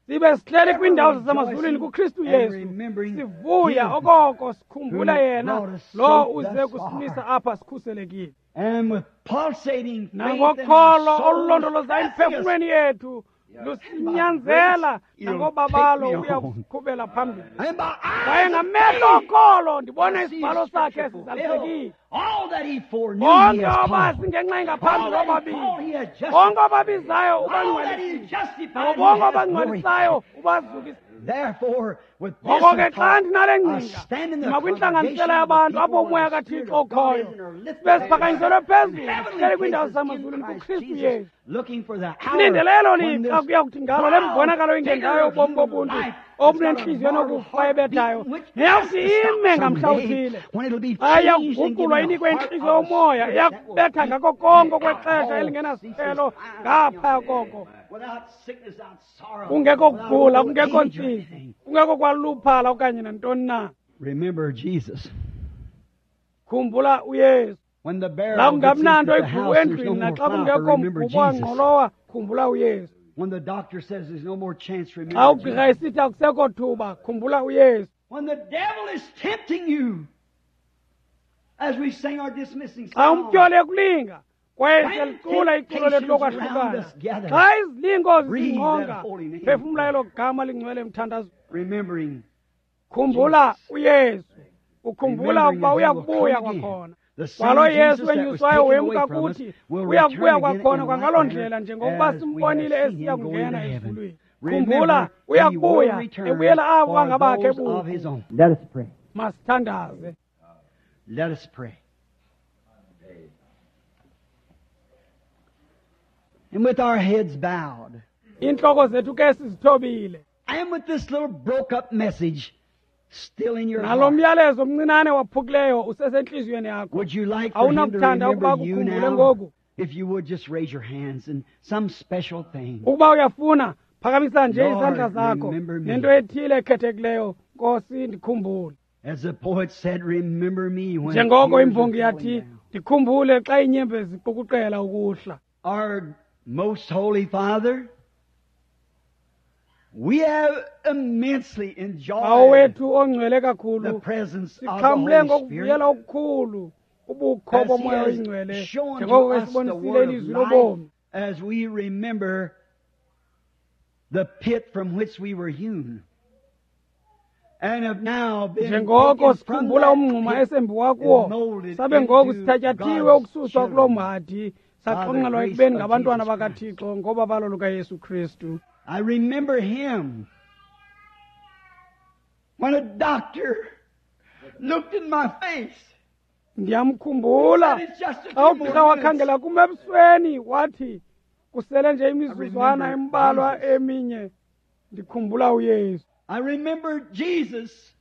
Sibe sihleli kwiindawo zasemazulwini kuKristu Yesu, sivuya okoko sikhumbula yena lo uze kusimisa apha sikhuselekile. Nangokholo olulondoloza emphefumlweni yethu lusinyanzela, nangobabalo uya kusiqhubela phambili. Kwaye ngamehlo okholo ndibona isibhalo sakhe sizalisekile. Bonke abazi ngenxa engaphambili wababili, bonke ababizayo ubangcwalisile, nabo bonke abangcwalisayo ubazukisile. Ngoko ke xa ndinale ngcinga, ndima kwintlanganisela yabantu apho uMoya kaThixo okhoyo, sibe siphakanyiselwe phezulu, sihleli kwiindawo zasemazulwini kuKristu Yesu. Silindelelo lixa kuya kuthi ngalo le mbonakalo ingendayo yobomi bobuntu obunentliziyo enokufa ebethayo, neyakuthi ime ngamhla uthile. Xa iyakuguqulwa inikwe intliziyo yomoya, iyakubetha ngako konke okwexesha elingenasiphelo ngaphaya koko. Kungekho kugula, kungekho ntsizi, kungekho kwaluphala okanye nantoni na. Khumbula uYesu. La kungabi nanto igubu endlwini, naxa kungekho mgubo wangqolowa, khumbula uYesu. Xa ugqirha esithi akusekho thuba, khumbula uYesu. As we sing our dismissing Xa song, umtyholi ekulinga kwaye When siyalicula iculo lethu temptations lokwahlukana, round us gather, xa izilingo breathe zisingqonga, that holy name. phefumla elo gama lingcwele emthandazweni. Remembering Khumbula Jesus. uYesu, ukhumbula Remembering ukuba that he will uyakubuya come again. kwakhona. The same Kwalo Jesus Yesu that was wenyuswayo taken wemka away from us kuthi will uyakubuya return again kwakhona in kwangaloo like ndlela manner njengokuba as we have simbonile seen him esiya go kungena into heaven. ezulwini. Remember, Khumbula he will uyakubuya return ebuyela abo for bangabakhe those of his buqu. own. Let us pray. Masithandaze. Let us pray. And with our heads bowed, Iintloko zethu ke sizithobile. and with this little broke up message still in your Nalo heart, myalezo mncinane waphukileyo usesentliziyweni yakho. would you like for him to Awunakuthanda ukuba remember you akukhumbule now? ngoku? If you would just raise your hands and some special thing. Ukuba uyafuna, phakamisa nje Lord, izandla zakho remember me. nento ethile ekhethekileyo. Nkosi, ndikhumbule. As the poet said, remember me when Njengoko tears are imbongi falling yathi, down. ndikhumbule xa iinyembezi ziqukuqela ukuhla. Our most holy Father, we have immensely Bawo enjoyed wethu ongcwele the kakhulu, presence of the sixhamle Holy ngokuvuyela Spirit okukhulu ubukho as He boMoya has oyiNgcwele, shown to njengoko us the esibonisile word of ilizwi life lobomi. as we remember the pit from which we were hewn and have now been Njengoko taken from sikhumbula that umngxuma pit esembiwa kuwo, and molded sabe ngoku into sithatyathiwe God's ukususwa kuloo children mhadi, by the saxonxelwa grace ekubeni of ngabantwana Jesus Christ. bakaThixo ngobabalo lukaYesu Kristu. I remember him when a doctor looked in my face. Ndiyamkhumbula Said, "It's just a xa few more ugqirha minutes." wakhangela kum ebusweni wathi kusele nje imizuzwana I remember embalwa Jesus. eminye. Ndikhumbula uYesu. I remember Jesus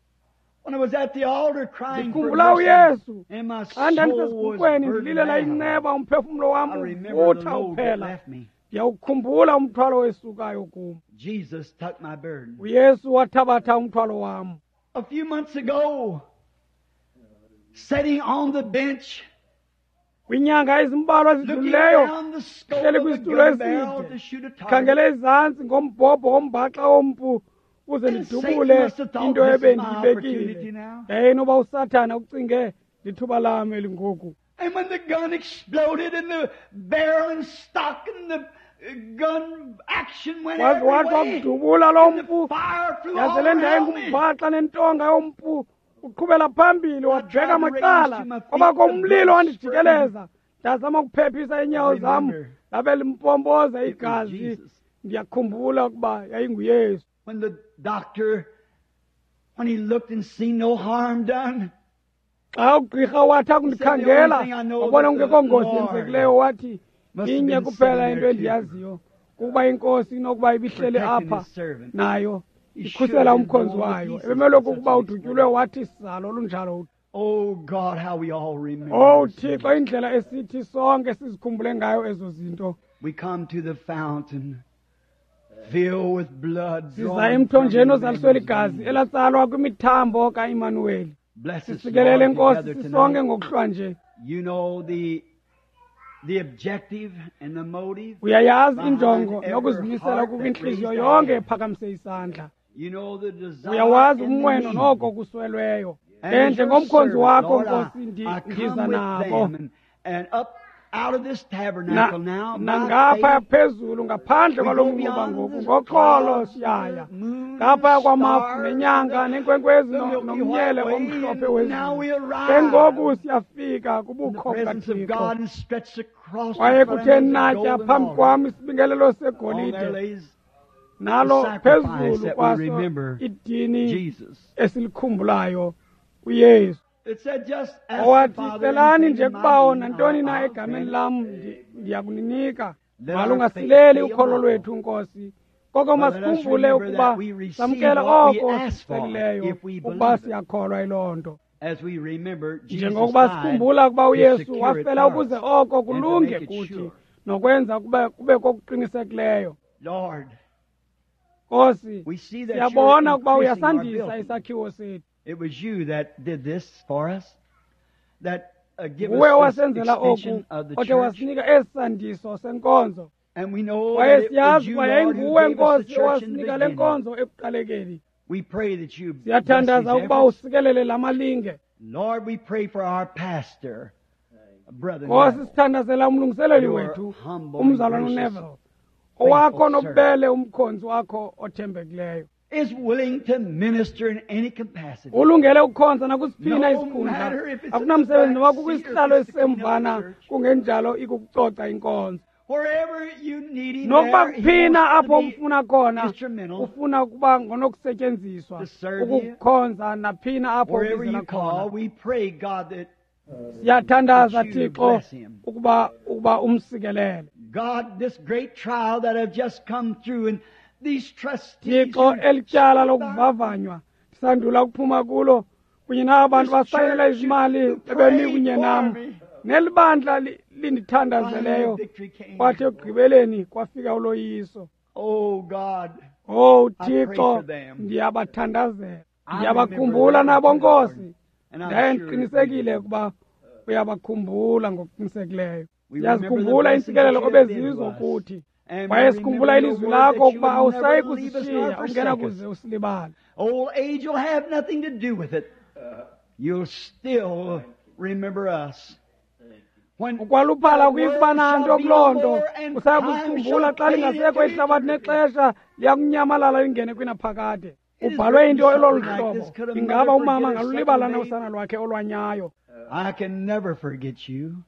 when I was at the altar crying for Ndikhumbula mercy, uYesu and my xa soul was ndandisesiguqweni burdened ndililela down. inceba, umphefumlo wam I remember the uvutha load that uphela. left me. Ndiyawukhumbula umthwalo wesukayo kum. Jesus took my burden. uYesu wathabatha umthwalo wam. A few months ago, sitting on the bench, Kwiinyanga ezimbalwa looking ezidlulileyo, down the scope hleli of a kwisitulo gun barrel eside, to shoot a target, khangele ezantsi ngombhobho wombaxa wompu uze And ndidubule Satan must have thought, into "This is my ebendiyibekile. opportunity now." Yayinoba uSathana ucinge lithuba lam elingoku. And when the gun exploded and the barrel and stock and the uh, gun action went Waze every wathi way, wakudubula loo and the mpu, fire flew all yaze le ndawo around me. engumbhaxa nentonga yompu uqhubela phambili wabheka tried to macala, raise to my feet, kwabakho the umlilo blood wandijikeleza. Ndazama ukuphephisa iinyawo I zam, remember labe limpompoza it was igazi. Jesus. Ndiyakhumbula ukuba yayinguYesu. When the doctor, when he looked and seen no harm done, Xa ugqirha wathi akundikhangela He said, "The only thing I know wabona that the kungekho ngozi Lord yenzekileyo, wathi must have inye been kuphela sitting into there too, endiyaziyo kukuba inkosi inokuba ibihleli protecting apha his servant. nayo He should ikhusela have been umkhonzi blown to wayo. pieces Ebemelwe by such kukuba an udutyulwe explosion. wathi salo olunjalo. Oh God, how we all remember. Owu those Thixo, things. indlela esithi sonke sizikhumbule ngayo ezo zinto. We come to the fountain filled with blood Siza drawn from emthonjeni ozaliswe Emmanuel's ligazi veins. elatsalwa kwimithambo kaImanuweli. Bless us, Sisikelele Lord, Nkosi together sisonke tonight. ngokuhlwa nje. You know the the objective and the motive. Uyayazi behind injongo every nokuzimisela heart that kukwintliziyo raised a yonke hand. ephakamise isandla. You know the desire Uyawazi and the umnqweno need. noko kuswelweyo. And Ke as your njengomkhonzi servant, wakho Lord, I, Nkosi ndi- I come ndiza with nabo. them and, and up out of this Na- tabernacle now by nangaphaya faith, phezulu ngaphandle we kwalo go mnquba beyond ngoku the ngoxolo clouds, siyaya the moon, ngaphaya the kwamafu stars, nenyanga the, neenkwenkwezi the no- Milky nomnyele White Way, omhlophe and now wezulu. we Ke arrive ngoku siyafika in the kubukho presence of bukaThixo. God and stretched across in Kwaye front of kuthe me is a natya golden phambi altar. kwam isibingelelo On there segolide, lays the nalo sacrifice phezulu that we kwaso remember, idini Jesus. esilikhumbulayo uYesu. It said, just ask the Owathi, Father celani anything nje in my kubawo name, nantoni I'll, na I'll egameni grant it. lam ndi- ndiyakuninika. Let our faith Malungasileli fail ukholo not. lwethu Nkosi, koko But let us masikhumbule remember ukuba that we receive samkela what we oko ask for sicelileyo if we ukuba believe it. siyakholwa yiloo nto. As we remember Jesus Njengokuba died sikhumbula ukuba to uYesu secure it wafela for ukuze us oko and to kulunge make it kuthi sure. nokwenza kube kube kokuqinisekileyo. Lord, Nkosi, we see that you're siyabona ukuba increasing our uyasandisa building. isakhiwo sethu. It was you that did this for us, that uh, give Nguwe us this owasenzela oku, extension of the othe church. wasinika esi sandiso senkonzo. And we know Kwaye that it was siyazi you, ukuba Lord, who yayinguwe gave us the Nkosi church in the owasinika le beginning. nkonzo ekuqalekeni. We pray that you bless these Siyathandaza ukuba efforts usikelele la malinge. Lord, we pray for our pastor, brother Nkosi, sithandazela umlungiseleli wethu umzalwana uNeville, owakho nobubele umkhonzi wakho othembekileyo, is willing to minister in any capacity. Ulungele ukukhonza nakusiphina isikhundla, akunamsebenzi noba kukwisihlalo esisemvana, kungenjalo ikukucoca inkonzo. Wherever you need him, nokuba kuphina apho umfuna khona, instrumental ufuna ukuba ngonokusetyenziswa to serve you. ukukhonza naphina apho Wherever ubizela you call, khona. we pray, God, that Siyathandaza that you Thixo bless him. ukuba ukuba umsikelele. God, this great trial that I've just come through, and these trustees Thixo, who elityala lokuvavanywa sandula ukuphuma kulo kunye naba bantu This basayinela church izimali who ebemi prayed kunye for nam me. nelibandla li- lindithandazeleyo, Finally, victory came. kwathi ekugqibeleni kwafika uloyiso. Oh God, Oh I pray Thixo, for them. ndiyabathandazela, I ndiyabakhumbula remember nabo them, Nkosi, Lord, and I'm ndaye sure ndiqinisekile ukuba uyabakhumbula ngokuqinisekileyo. We remember the Ndiyazikhumbula blessings iintsikelelo that you have been obezizo to us. kuthi, And we kwaye sikhumbula remember ilizwi your word lakho that you ukuba would never awusayi leave us nor kusishiya, forsake us. ungenakuze usilibale. Old age will have nothing to do with it. You'll still remember us. When Ukwaluphala the kuyi world kuba nanto shall be kuloo no nto, more and usaya time kusikhumbula shall xa fade lingasekho into ihlabathi eternity. nexesha liyakunyamalala lingene kwinaphakade. It is Ubhalwe written into elolu something like this, hlobo, could a ingaba mother umama forget her angalulibala sucking na babe? usana lwakhe olwanyayo? I can never forget you.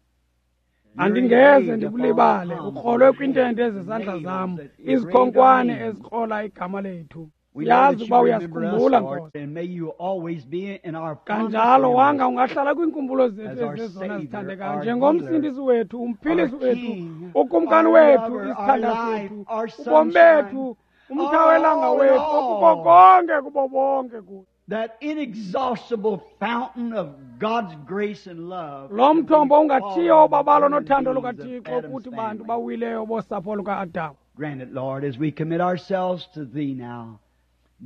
You're Andingeze engraved ndikulibale, upon the ukrolwe palms of kwiintente your zezandla hands, zam, nails that engraved our izikhonkwane names. ezikrola igama lethu. We know Siyazi that ukuba you remember us, uyasikhumbula, Lord, Nkosi. and may you always be in our fondest Kanjalo memories wanga ungahlala kwiinkumbulo zethu as our ezizezona Savior, zithandekayo, our njengomsindisi wethu, umphilisi our wethu, King, ukumkani our wethu, lover, our isithanda life, sethu, our ubomi sunshine, bethu, umthawelanga all in wethu, all. okuko konke kubo bonke kuthi. That inexhaustible fountain of God's grace and love. Lo mthombo ungathiyo All ubabalo the nothando beings of lukaThixo Adam's kuthi bantu family. bawileyo bosapho luka-Adamu. Grant it, Lord, as we commit ourselves to Thee now.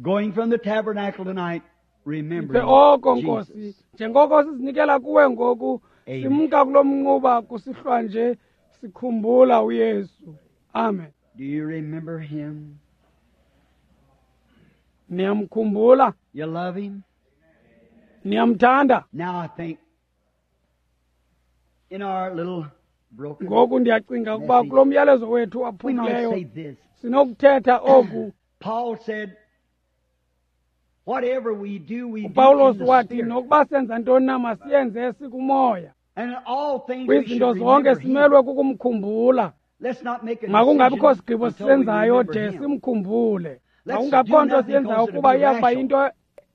Going from the tabernacle tonight, Siphe remembering oko Nkosi, Jesus. njengoko sizinikela kuwe ngoku, Amen. simka kulo mnquba kusihlwa nje sikhumbula uYesu. Amen. Do you remember Him? Niyamkhumbula? You love Him? Niyamthanda? Now I think in our little broken Ngoku ndiyacinga ukuba kulo myalezo wethu we might waphukileyo say this. sinokuthetha oku. Paul said, whatever we do, we do in uPawulos the wathi Spirit. nokuba senza ntoni na masiyenze sikumoya. And in all things we Kwizinto should zonke remember Him. simelwe kukumkhumbula. Let's not make a Makungabikho decision sigqibo until we sisenzayo remember de Him. simkhumbule. Let's Makungabikho do nto nothing siyenzayo 'cause it'll kuba be iyakuba rational. yinto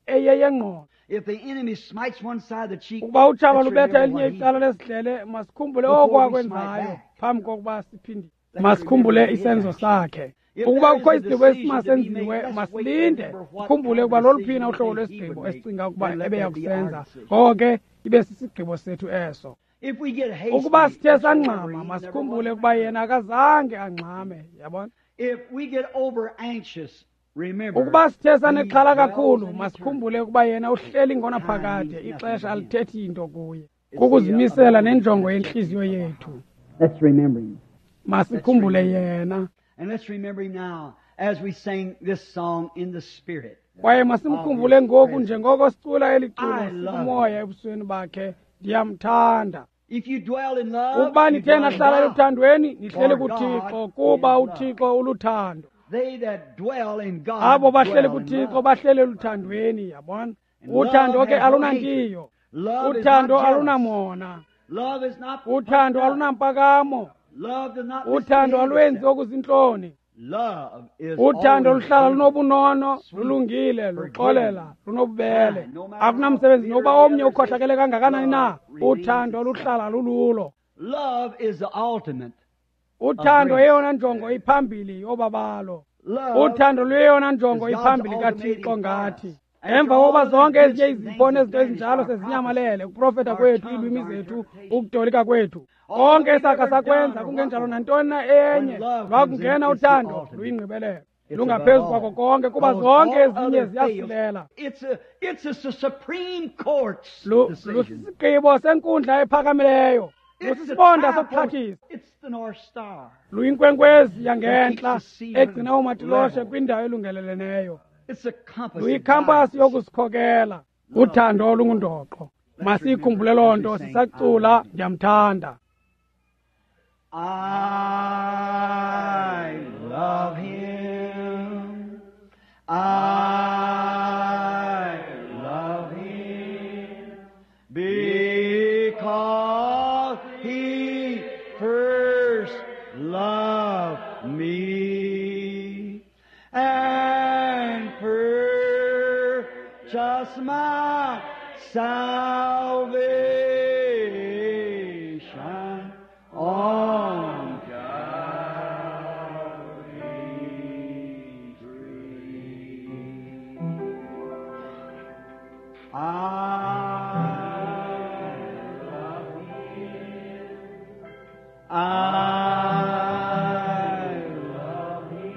eyeyengqondo. If the enemy smites one side of the cheek, Ukuba utshaba let's lubetha remember elinye what he icala lesidlele, masikhumbule Before oko we akwenzayo smite back. phambi kokuba siphindile. Let's Masikhumbule remember his isenzo action. sakhe. If Ukuba there is kukho a isigqibo decision to be esimasenziwe, made, let's wait to masilinde. remember what Sikhumbule kind of ukuba loluphina decision uhlobo we think he lwesigqibo would make. esicinga ukuba Then let ebeya that be our kusenza. decision. Ngoko ke ibe sisigqibo sethu eso. If we get hasty, Ukuba sithe let's remember sangxama, he never masikhumbule was ukuba mad. yena akazange angxame, yabona? If we get over anxious, remember Ukuba sithe he sanexhala dwells kakhulu, in eternity. masikhumbule ukuba yena uhleli ngonaphakade, Time means ixesha nothing to him. alithethi into kuye. It's the Kukuzimisela nenjongo objective yentliziyo of our yethu. heart. Let's remember him. Masikhumbule yena. And let's remember him now as we sing this song in the Spirit. Kwaye masimkhumbule ngoku njengoko sicula eli culo I love sikumoya ebusweni bakhe. Ndiyamthanda. If you dwell in love, Ukuba you nithe dwell in nahlala God. eluthandweni, nihleli For kuThixo, God kuba is love. uThixo uluthando. They that dwell in God Abo bahleli dwell in kuThixo love. bahleli eluthandweni, yabona? And Uthando love ke has no alunantiyo. hatred. Love is Uthando not jealous. alunamona. Love is not Uthando puffed up. alunampakamo. Love does not Uthando misbehave alwenzi itself. okuzintloni. Love is Uthando always luhlala good, lunobunono, sweet, lulungile, luxolela, forgiving, lunobubele. kind, no matter how Akunamsebenzi bitter nokuba the omnye other is, ukhohlakele kangakanani na, love remains uthando itself. luhlala lululo. Love is the ultimate. Uthando grace. yeyona njongo iphambili yobabalo. Love Uthando luyeyona njongo is God's iphambili ultimating kaThixo for ngathi. us. After Emva kokuba all the zonke gifts ezinye and izipho things nezinto have ezinjalo vanished, our sezinyamalele, prophecy, ukuprofeta our kwethu, tongues, iilwimi our zethu, interpretation, ukutolika kwethu, all konke we've esakha ever sakwenza done or kungenjalo what nantoni na enye, when love comes in, lwakungena it's the uthando ultimate. luyingqibelelo, It's lungaphezu above kwako all. konke, kuba Because zonke all ezinye other fails. ziyasilela. It's a it's a, supreme court's Lu- decision. Lusisigqibo senkundla ephakamileyo, It's the lusisibonda tripost. sokuxhathisa, It's the North Star. luyinkwenkwezi That yangentla keeps the seamen egcina oomatiloshe level. kwindawo elungeleleneyo, It's a compass that luyikhampasi guides us. yokusikhokela. Uthando olungundoqo. Masiyikhumbule loo nto sisacula ndiyamthanda. I love him. I love him because he first loved me and purchased my salvation on Calvary's tree. I love him. I love him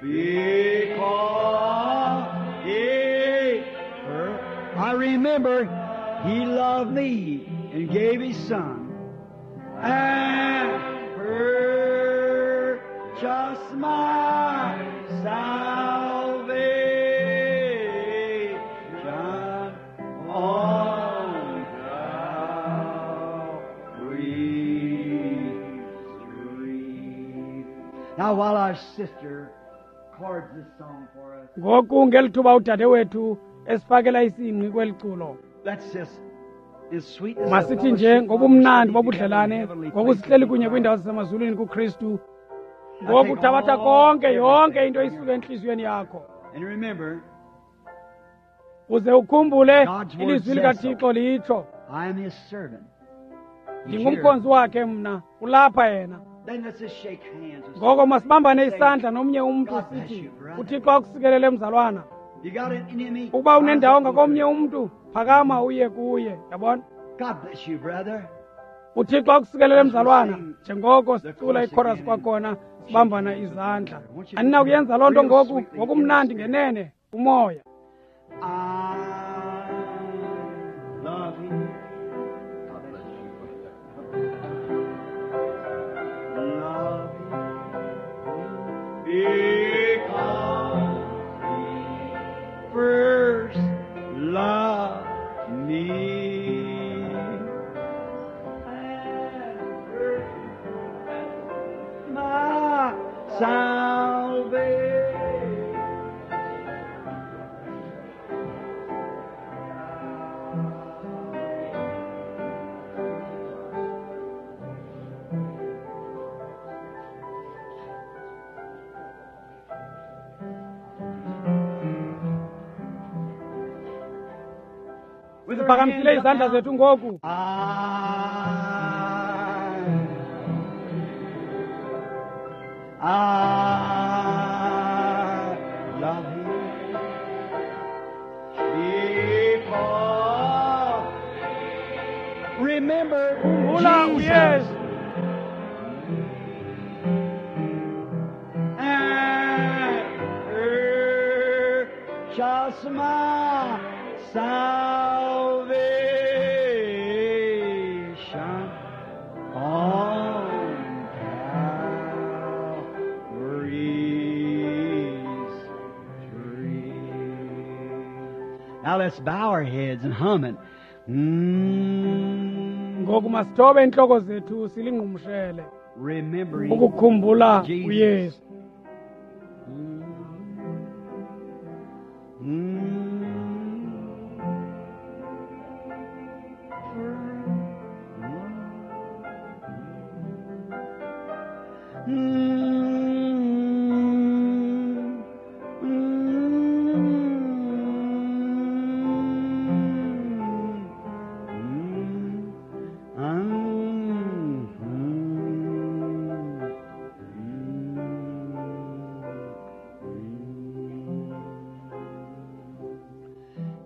because he first, I remember he loved me and gave his son and purchased my salvation on Calvary's tree. Now while our sister chords this song for us, Ngoku ngeli thuba udade wethu esifakela isingqi kweli culo, let's just in sweetness of masithi nje fellowship, ngobumnandi while we're bobudlelane, sitting together in ngoku sihleli kunye heavenly kwiindawo zasemazulwini kuKristu. Ngoku thabatha konke, yonke into isuke entliziyweni yakho, And remember, uze ukhumbule God's word ilizwi says likaThixo litsho, I am his servant. He's ndingumkhonzi here. wakhe mna, ulapha yena. Then let's just shake hands with Ngoko somebody. masibambane Say, isandla nomnye umntu God bless sithi, you, brother. uThixo akusikelele mzalwana. You got an enemy? Ukuba unendawo Rise up ngakomnye and umntu, phakama uye kuye. Yabona? God bless you, brother. uThixo akusikelele mzalwana. Njengoko sicula ichorus kwakhona sibambana izandla. Aninakuyenza loo nto ngoku ngokumnandi ngenene umoya. I love him. God bless you, brother. Love him because he first loved me and purchased my salvation. With our Siphakamisile hands up izandla now. zethu ngoku. I, I love him because remember Khumbula Jesus uYesu and purchased my salvation on Calvary's tree. Now let's bow our heads and hum it. Mm, Ngoku masithobe iintloko zethu silingqumshele remembering ukukhumbula Jesus. uYesu. Mm. Mm. Mm. Mm. Mm. Mm.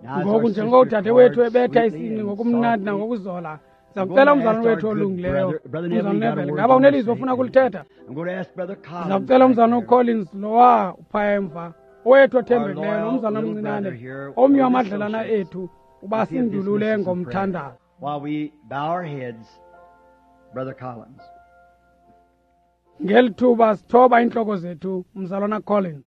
Now, as Ngoku our njengoko sister udade wethu chords ebetha sweetly isingqi and ngokumnandi softly, nangokuzola, I'm ndiza going kucela to umzalwane ask our wethu good olungileyo, brother, Brother Neville, umzalwane you got a Neville, word ngaba you want to unelizwi say? ofuna kulithetha? I'm going to ask Brother Collins Ndiza kucela back umzalwane there, uCollins lowa uphaya emva, owethu our othembekileyo loyal nomzalwane little omncinane, brother here, omnye one of the wamadlelana associates, ethu, uba if he'll dismiss sindulule us in prayer. ngomthandazo. While we bow our heads, Brother Collins. Ngeli thuba sithoba iintloko zethu, umzalwana Collins.